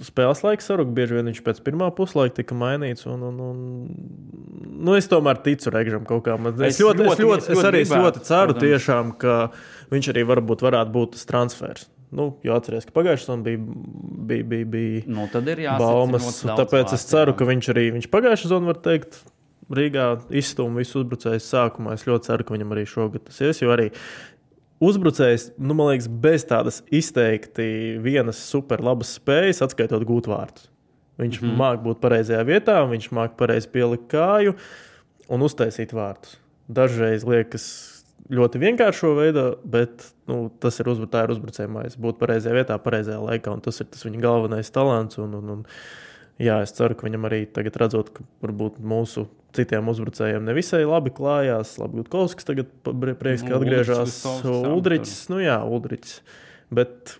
spēles laiks saruk, bieži vien viņš pēc pirmā puslaika tika mainīts un es tomēr ticu Regžam kaut kā. Es arī ļoti ceru tiešām, ka viņš arī varētu būt tas transfers. Jo atceries, ka pagājušajā sezonā bija tad ir baumas, tāpēc es ceru, ka viņš pagājušajā sezonā var teikt Rīgā izstūma visu uzbrucējus sākumā. Es ļoti ceru, ka viņam arī šogad tas ies, jo arī uzbrucējs, man liekas, bez tādas izteikti vienas super labas spējas, atskaitot gūt vārtus. Viņš māk būt pareizajā vietā, viņš māk pareizi pielikt kāju un uztaisīt vārtus. Dažreiz liekas ļoti vienkāršo veidā, bet tas ir uzbrucēja mājas. Būt pareizajā vietā, pareizajā laikā, un tas ir tas viņa galvenais talants. Es ceru, ka viņam arī tagad redzot, ka varbūt mūsu citiem uzbrucējiem nevisai labi klājās. Labi, Gutkovskis tagad prieks, ka atgriežās. Uldriķis, Uldriķis. Bet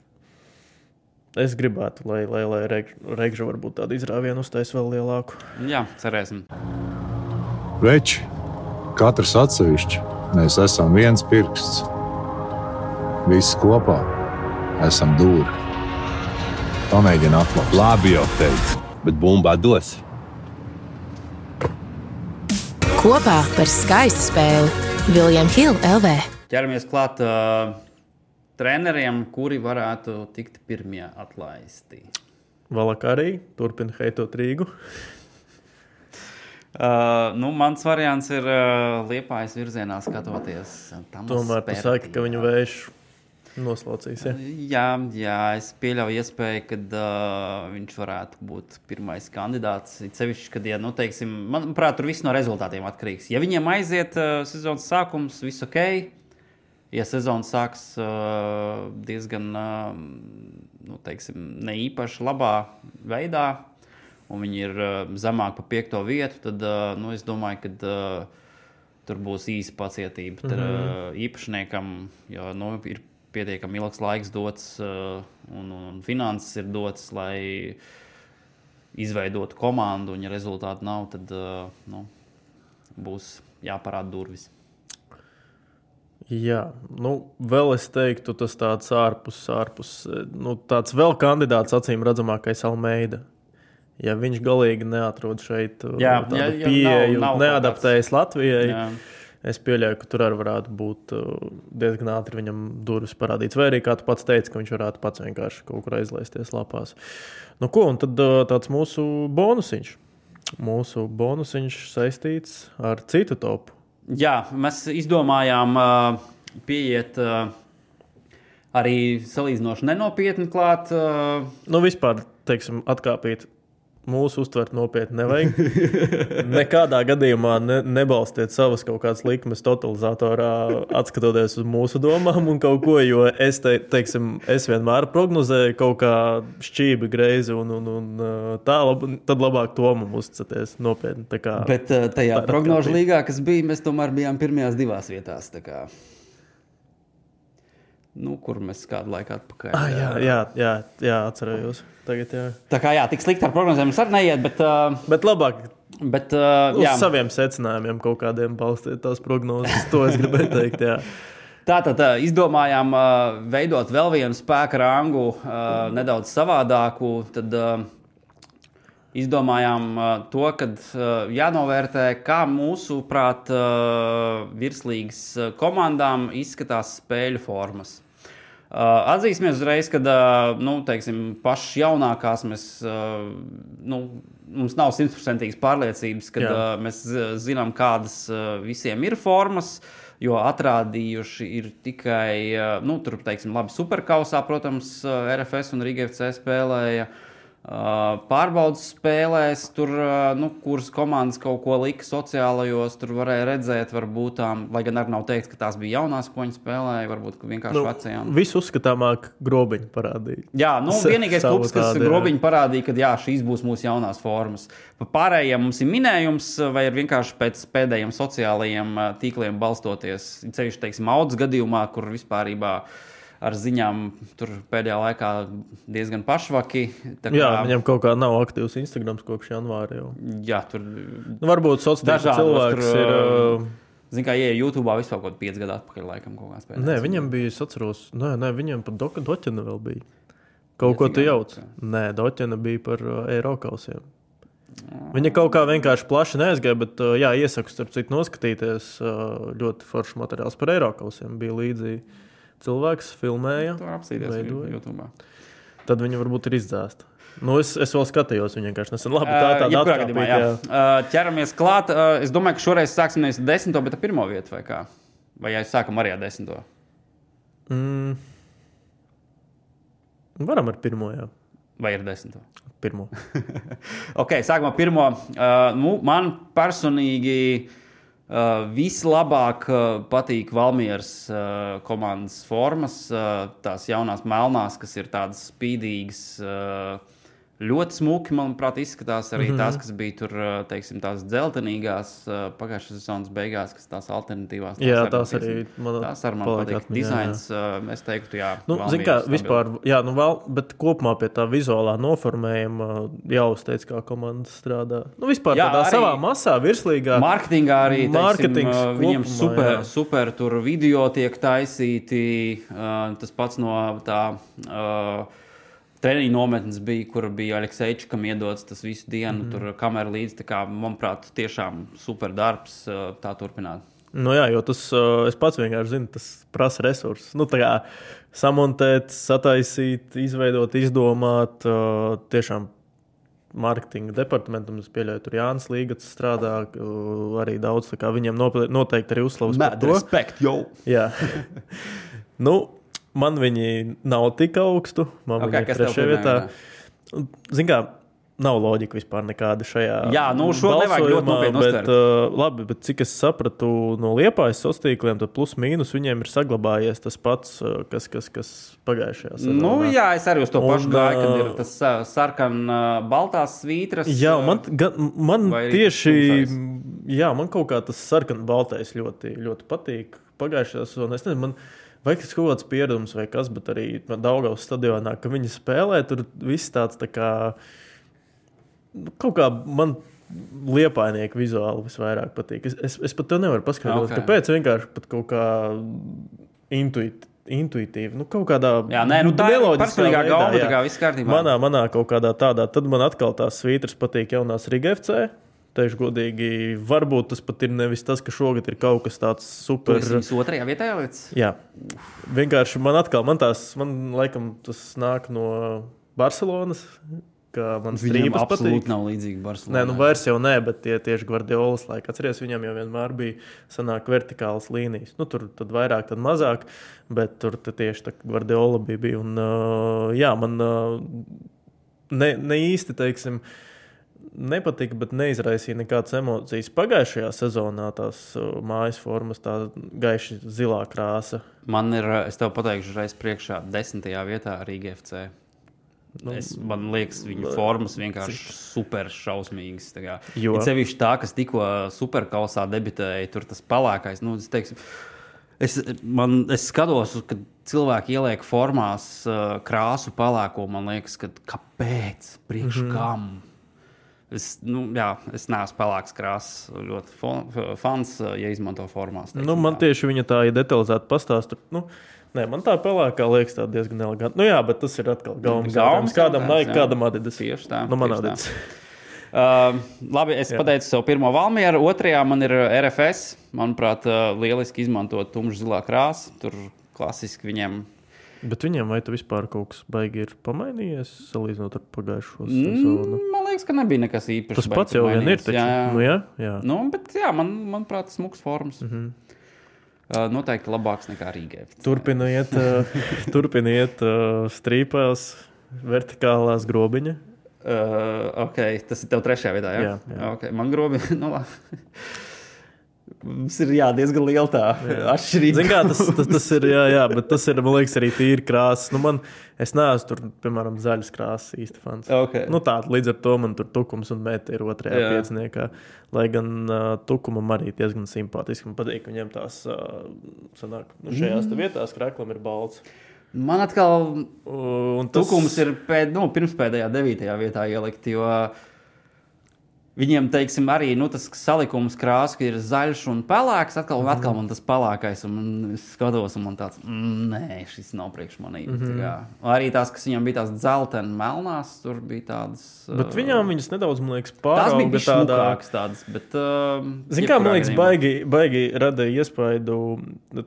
es gribētu, lai Regža varbūt tādu izrāvienu uztais vēl lielāku. Jā, cerēsim. Veči, katrs atsevišķi, mēs esam viens pirksts. Visi kopā esam dūri. Pamēģini atklāt. Labi jau teicu, bet bumbā dos. Kopā par skaistu spēli William Hill LV. Ķeramies klāt treneriem, kuri varētu tikt pirmie atlaisti. Valakārī turpina heitot Rīgu. Mans variants ir Liepājas virzienā skatoties. Tomēr tu saki, ka viņu vējš noslaucīs, ja? Jā, es pieļauju iespēju, ka viņš varētu būt pirmais kandidāts. Sevišķi, kad, teiksim, manuprāt, tur viss no rezultātiem atkarīgs. Ja viņiem aiziet sezonas sākums, viss ok. Ja sezona sāks diezgan, teiksim, neīpaši labā veidā, un viņi ir zemāk pa 5. vietu, tad es domāju, ka tur būs īsa pacietība īpašniekam, jo ir pietiekami ilgs laiks dots un finanses ir dots, lai izveidotu komandu, un ja rezultāti nav, tad būs jāparāda durvis. Jā, vēl es teiktu, tas tāds ārpus, tāds vēl kandidāts acīm redzamākais Almeida. Ja viņš galīgi neatrod šeit pieeju, neadaptējas Latvijai, es pieļauju, ka tur arī varētu būt diezgan ātri viņam durvis parādīts. Vai arī, kā tu pats teici, ka viņš varētu pats vienkārši kaut kur aizlaisties lapās. Un tad tāds mūsu bonusiņš. Mūsu bonusiņš saistīts ar citu topu. Jā, mēs izdomājām pieiet arī salīdzinoši nenopietni klāt. Vispār, teiksim, atkāpīt. Mūsu uztvert nopietni nevajag. Nekādā gadījumā nebalstiet savas kaut kādas likmes totalizatorā, atskatoties uz mūsu domām un kaut ko, jo es vienmēr prognozēju kaut kā šķībi greizi un tā, tad labāk tomam uzticaties nopietni. Bet tajā prognožu līgā, kas bija, mēs tomēr bijām pirmajās 2 vietās. Kur mēs kādu laiku atpakaļ. Jā, atcerējos. Tagad, jā. Tā kā tik slikti ar prognozēm mums arī neiet, bet labāk uz saviem secinājumiem kaut kādiem balstīt tās prognozes. To es gribēju teikt, jā. Tātad izdomājām veidot vēl vienu spēka rangu, nedaudz savādāku. Tad izdomājām to, kad jānovērtē, kā mūsuprāt virslīgas komandām izskatās spēļu formas. Atzīsimies uzreiz, kad pašas jaunākās mums nav 100% pārliecības, kad mēs zinām, kādas visiem ir formas, jo atrādījuši ir tikai, tur, labi, Superkausā, protams, RFS un Riga FC spēlēja. Pārbaudas spēlēs, tur, kuras komandas kaut ko lika sociālajos, tur varēja redzēt, varbūt, lai gan arī nav teikt, ka tās bija jaunās, ko viņi spēlēja, varbūt vienkārši vecajām. Visu uzskatāmāk Grobiņu parādīja. Jā, vienīgais klubs, kas Grobiņu parādīja, ka šīs būs mūsu jaunās formas. Pārējiem mums ir minējums, vai ir vienkārši pēc pēdējiem sociālajiem tīkliem balstoties, ceļš, Audas gadījumā, kur vispārībā ar ziņām tur pēdējā laikā diezgan pašvaki. Viņam kaut kā nav aktīvs Instagrams kopš janvāra jau. Jā, tur varbūt sociālais cilvēks ir... Zin kā, YouTube'ā vispār kaut 5 gadu atpakaļ laikam kaut kā spēlēt. Nē, viņam bija, es atceros, viņam pat Doķena vēl bija. Kaut ko tu jauc. Nē, Doķena bija par Eirokausiem. Viņa kaut kā vienkārši plaši neaizgāja, bet iesaku starp citu noskatīties ļoti foršs materiāls par Eirokausiem. Bija līdzi cilvēks filmēja, veidoja. Tad viņa varbūt ir izdzēsta. Es vēl skatījos, viņa vienkārši nesen. Labi, tāda atkāpīt. Ķeramies klāt. Es domāju, ka šoreiz sāksim nevis 10, bet ar 1. vietu vai kā? Vai sākam arī ar 10? Varam ar 1, jā. Vai ar 10? 1. Ok, sākam ar 1. Man personīgi vislabāk patīk Valmieras komandas formas, tās jaunās melnās, kas ir tādas spīdīgas, ļoti smuki, manuprāt, izskatās arī tās, kas bija tur, tās dzeltenīgās pagājušās sezonas beigās, kas tās alternatīvās. Tās arī man patīk. Dizains, es teiktu, jā. Zin kā, vispār, bet kopumā pie tā vizuālā noformējuma jau uzteic, kā komanda strādā. Vispār tādā savā masā, virslīgā. Marketingā arī, viņiem super tur video tiek taisīti, tas pats no tā... Treniņu nometnes bija, kur bija Alekseičikam iedots tas visu dienu, tur kamera līdzi, tā kā, manuprāt, tiešām super darbs tā turpināt. Jo tas, es pats vienkārši zinu, tas prasa resursus. Tā kā samontēt, sataisīt, izveidot, izdomāt, tiešām marketinga departamentam, es pieļauju, tur Jānis Līgats strādā, arī daudz, tā kā viņiem noteikti arī uzslavas par to. Respekt, jo! Jā. Man viņi nav tik augstu. Man viņi ir 3. vietā. Zin kā, nav loģika vispār nekāda šajā šo nevajag ļoti nopietni uztvert. Labi, bet cik es sapratu no Liepājas sociāliem, tad plus mīnus viņiem ir saglabājies tas pats, kas pagājušajā sezonā. Es arī uz to pašu gāju, kad ir tas sarkan-baltās svītras. Jā, man tieši, man kaut kā tas sarkan-baltais ļoti, ļoti patīk pagājušajā sezonā. Es nezinu, vai kas kaut kāds pieredums vai kas, bet arī Daugavas stadionā, ka viņi spēlē, tur viss tāds tā kā, kaut kā man liepainieki vizuāli visvairāk patīk. Es pat to nevaru paskaidrot, kāpēc vienkārši pat kaut kā intuitīvi, kaut kādā tā ir personīgā galva, tā kā viss kārtībā. Manā kaut kādā tādā, tad man atkal tās svītras patīk jaunās Riga FC. Teikšu godīgi, varbūt tas pat ir nevis tas, ka šogad ir kaut kas tāds super. Tu esi otrajā vietā jāliec? Jā. Vienkārši man laikam tas nāk no Barcelonas, ka man strīpas patīk. Absolūti nav līdzīgi Barcelonā. Nē, vairs jau nē, bet tie tieši Guardiolas laika. Atceries, viņam jau vienmēr bija sanāk vertikālas līnijas. Tur tad vairāk, tad mazāk, bet tur tieši tā Guardiola bija. Un, man ne īsti, teiksim, nepatika, bet neizraisīja nekādas emocijas. Pagājušajā sezonā tās mājas formas, tā gaiši zilā krāsa. Man ir, es tev pateikšu reiz priekšā, 10. vietā Riga FC. Man liekas, viņu formas vienkārši super šausmīgas. Ir sevišķi tā, kas tikko superkausā debitēja, tur tas palākais. Es skatos, kad cilvēki ieliek formās krāsu palāko, man liekas, ka kāpēc, priekš kam? Es neesmu pelēks krāsas, ļoti fans, ja izmanto formās. Man tieši viņa tā, ja detalizēti pastāst, nē, man tā pelēkā liekas tā diezgan eleganti. Bet tas ir atkal gaumas jautājums. Kādam Nike, kādam Adidas. Tieši tā. Man Adidas. Labi, es pateicu savu pirmo Valmieru. Otrajā man ir RFS. Manuprāt, lieliski izmantot tumšu zilā krāsu. Tur klasiski viņiem. Bet viņiem vai tu vispār kaut kas baigi ir pamainījies, salīdzinot ar pagājušo sezonu? Man liekas, ka nebija nekas īpašs. Tas pats jau vien ir, taču. Jā. Bet manuprāt, smuks formas. Noteikti labāks nekā Rīgā. Turpina iet strīpās, vertikālās grobiņa. Tas ir tev trešajā vietā, jā? Jā. Okay, man grobiņa, mums ir diezgan liela tā atšķirība. Zin kā, tas ir, bet tas ir, man liekas, arī tīri krāsas. Es neesmu tur, piemēram, zaļas krāsas īsti fans. Okay. Tāda līdz ar to man tur Tukums un Meta ir otrajā pieciniekā. Lai gan Tukumam arī diezgan simpātiski. Man patīk, ka viņiem tās sanāk, šajās vietās kreklam ir balts. Man atkal Tukums ir pirmspēdējā 9. vietā ielikt, jo viņiem, teiksim, arī tas salikums krāsa, ka ir zaļš un pelēks, atkal man tas pelēkais, un es skatos, un man tāds, nē, šis nav priekš manī. Arī tās, kas viņam bija tās dzelteni melnās, tur bija tādas. Bet viņas nedaudz, man liekas, pārauga. Tās bija smukākas tādas, bet. Zin kā, man liekas, baigi radīja iespaidu,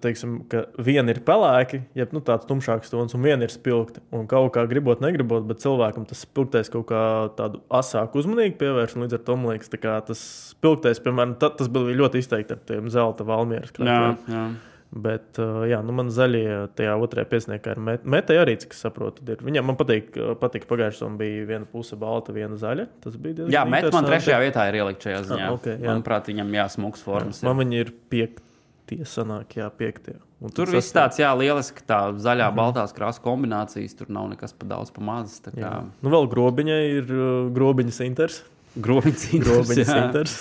teiksim, ka viena ir pelēki, jeb tāds tumšāks tons, un viena ir spilgta. Un kaut kā gribot, negribot, bet cilvēkam tas spilgtais kaut kā tādu asāku uzmanīgu pievērš, un līdz ar to, man liekas, tas spilgtais, piemēram, tas bija ļoti izteikti ar tiem zelta Valmieras krāsām. Jā. Bet, man zaļie tajā otrajā pieciniekā ir Meta arī, kas saprotu, ir. Viņam man patīk pagājušajā bija viena puse balta, viena zaļa. Tas bija diezgan interesanti. Meta man trešajā vietā ir ielikt šajā ziņā. Manuprāt, viņam smuks formas. Man viņi ir piektie sanāk, piektie. Tur viss tāds, lieliski tā zaļā, baltās krāsu kombinācijas, tur nav nekas pa daudz, pa maz. Vēl grobiņai ir grobiņas Inters. Grobiņas Inters.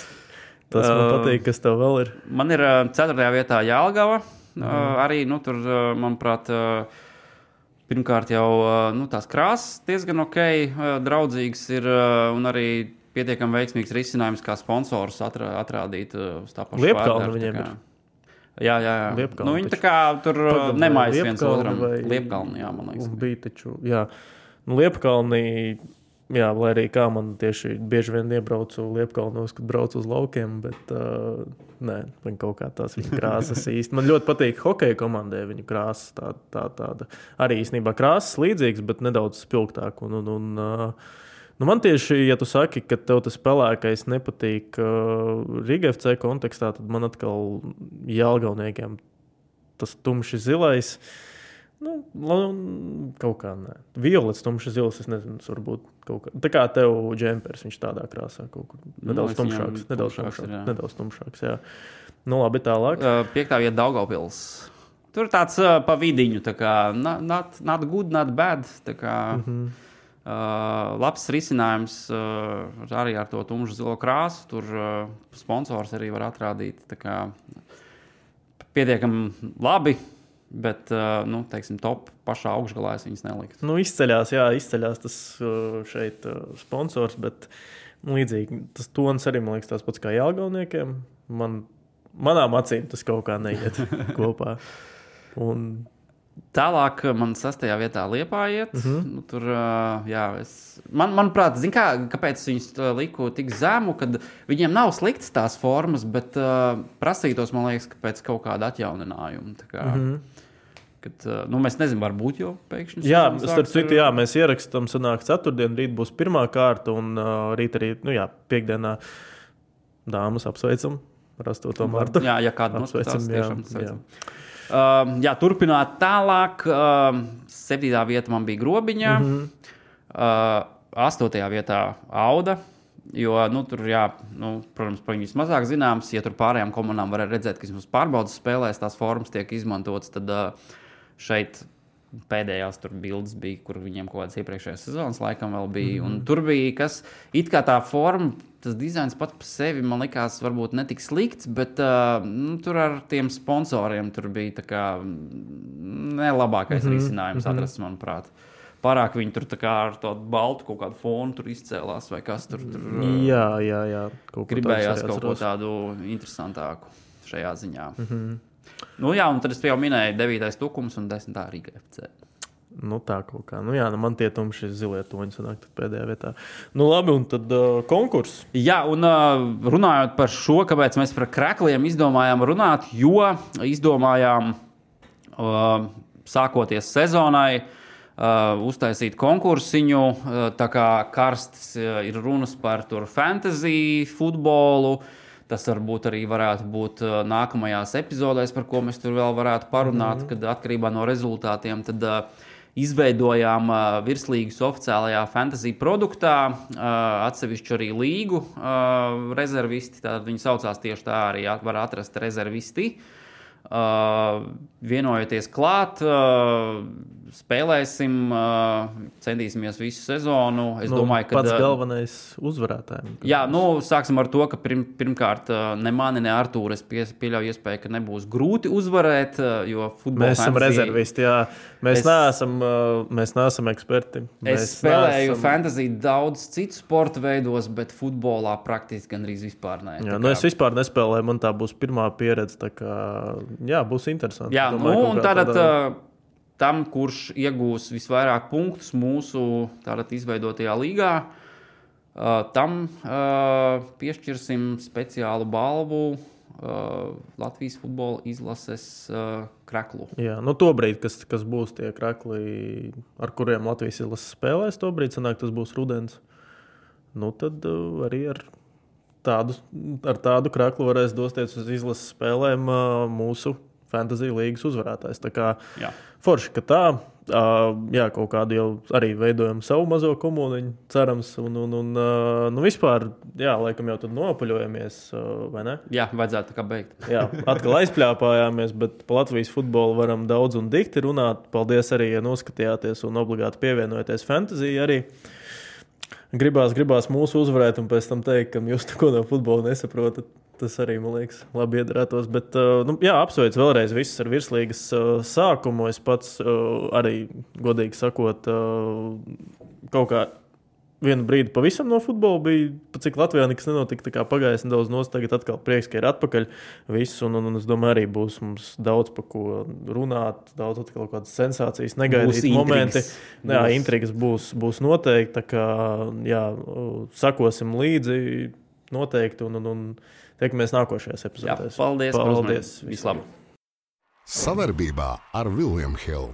Tas man patīk, kas tev vēl ir. Man ir 4. vietā Jelgava. Arī, tur, manuprāt, pirmkārt jau tās krāsas diezgan draudzīgas ir un arī pietiekami veiksmīgs risinājums, kā sponsors atrādīt uz tā pašu Liepkalnu viņiem ir. Jā. Viņi tā kā tur nemājas viens otram. Liepkalni, man liekas. Un bija taču, Liepkalni. Lai arī kā man tieši bieži vien iebraucu Liepkalnos, kad braucu uz laukiem, bet man kaut kā tās viņa krāsas īsti. Man ļoti patīk hokeja komandai viņa krāsas, tāda arī īstenībā krāsas līdzīgas, bet nedaudz spilgtāk. Man tieši, ja tu saki, ka tev tas pelēkais nepatīk Riga FC kontekstā, tad man atkal Jelgavniekiem tas tumši zilais. Kaut kā nē. Violets, tumšs zils, es nezinu, varbūt kaut kā. Tā kā tev džempers, viņš tādā krāsā kaut kur nedaudz tumšāks, jā. Labi, tālāk. 5. vieta Daugavpils. Tur tāds pa vidiņu, tā kā not good, not bad, tā kā labs risinājums arī ar to tumšu zilo krāsu. Tur sponsors arī var atrādīt, tā kā pietiekami labi. Bet, teiksim, top pašā augšgalā es viņas neliktu. Izceļās tas šeit sponsors, bet līdzīgi tas tons arī, man liekas, tās pats kā Jelgavniekiem. Manām acīm tas kaut kā neiet kopā. Un... Tālāk man 6. vietā Liepāja iet. Tur, manuprāt, kāpēc viņus liku tik zemu, kad viņiem nav sliktas tās formas, bet prasītos, man liekas, ka pēc kaut kāda atjauninājuma. Tā kā, kad, mēs nezinām, varbūt jau pēkšņi. Jā, starp citu, mēs ierakstām, sanāk ceturtdien, rīt būs pirmā kārta, un rīt arī, piekdienā dāmas apsveicam ar 8. martu. Jā, ja kāda noskatās, tiešām sveicam. Turpināt tālāk. 7. vieta man bija Grobiņā, 8. vietā Auda, jo, tur, protams, par viņus mazāk zināms, ja tur pārējām komandām var redzēt, ka mums pārbaudas spēlēs tās formas tiek izmantotas, tad šeit pēdējās tur bildes bija, kur viņiem kaut kādas iepriekšējās sezonas laikam vēl bija, un tur bija, kas it kā tā forma, tas dizains pat par sevi, man likās, varbūt netik slikts, bet tur ar tiem sponsoriem tur bija tā kā nelabākais risinājums atrasts, manuprāt. Pārāk viņi tur tā kā ar tādu baltu kaut kādu fonu tur izcēlās, vai kas tur. Jā. Gribējās kaut ko tādu interesantāku šajā ziņā. Un tad es jau minēju 9. Tukums un 10. Rīga FC. Tā kaut kā. Man tie tumši zilie toņi sanāk pēdējā vietā. Labi, un tad konkurss. Jā, un runājot par šo, kāpēc mēs par krekliem izdomājām runāt, jo izdomājām sākoties sezonai uztaisīt konkursiņu, tā kā karstas ir runas par tur fantasy futbolu. Tas varbūt arī varētu būt nākamajās epizodēs, par ko mēs tur vēl varētu parunāt, kad atkarībā no rezultātiem tad izveidojām virslīgas oficiālajā fantasy produktā atsevišķu arī līgu rezervisti, tātad viņi saucās tieši tā, arī var atrast rezervisti. Vienojoties klāt, spēlēsim, centīsimies visu sezonu. Es domāju, ka pats galvenais uzvarētājiem. Jā, sāksim ar to, ka pirmkārt ne mani, ne Artūru es pieļauju iespēju, ka nebūs grūti uzvarēt, jo futbola mēs esam rezervisti, jā. Mēs neesam eksperti. Es spēlēju fantasy daudz citu sporta veidos, bet futbolā praktiski gandrīz vispār ne. Jā, es vispār nespēlēju, man tā būs pirmā pieredze, tā kā, būs interesanti. Jā, un tātad tam, kurš iegūs visvairāk punktus mūsu tātad izveidotajā līgā, tam piešķirsim speciālu balvu Latvijas futbola izlases kreklu. Jā, tobrīd, kas būs tie krekli, ar kuriem Latvijas izlases spēlēs, tobrīd sanāk, tas būs rudens. Tad arī ar tādu kreklu varēs dosties uz izlases spēlēm mūsu fantasy līgas uzvarētājs. Tā kā forši, ka tā, kaut kādu jau arī veidojam savu mazo komuniņu, cerams, un vispār, laikam jau tad nopaļojamies, vai ne? Jā, vajadzētu tā kā beigt. Jā, atkal aizpļāpājāmies, bet pa Latvijas futbolu varam daudz un dikti runāt. Paldies arī, ja noskatījāties un obligāti pievienojaties fantasy arī. Gribās mūsu uzvarēt un pēc tam teikt, ka jūs neko no futbola nesaprotat. Tas arī, man liekas, labi iedarētos. Bet, apsveicu vēlreiz visus ar virslīgas sākumu. Es pats arī, godīgi sakot, kaut kā vienu brīdi pavisam no futbola bija, cik Latvijā nekas nenotika, tā kā pagājis nedaudz nost, tagad atkal prieks, ka ir atpakaļ viss, un es domāju, arī būs mums daudz par ko runāt, daudz atkal kādas sensācijas, negaidīt momenti. Jā, intrigas būs noteikti, tā kā, sakosim līdzi noteikti, un tiekamies nākošajās epizodēs. Jā, paldies. Vislabāk. Savarbībā ar William Hill.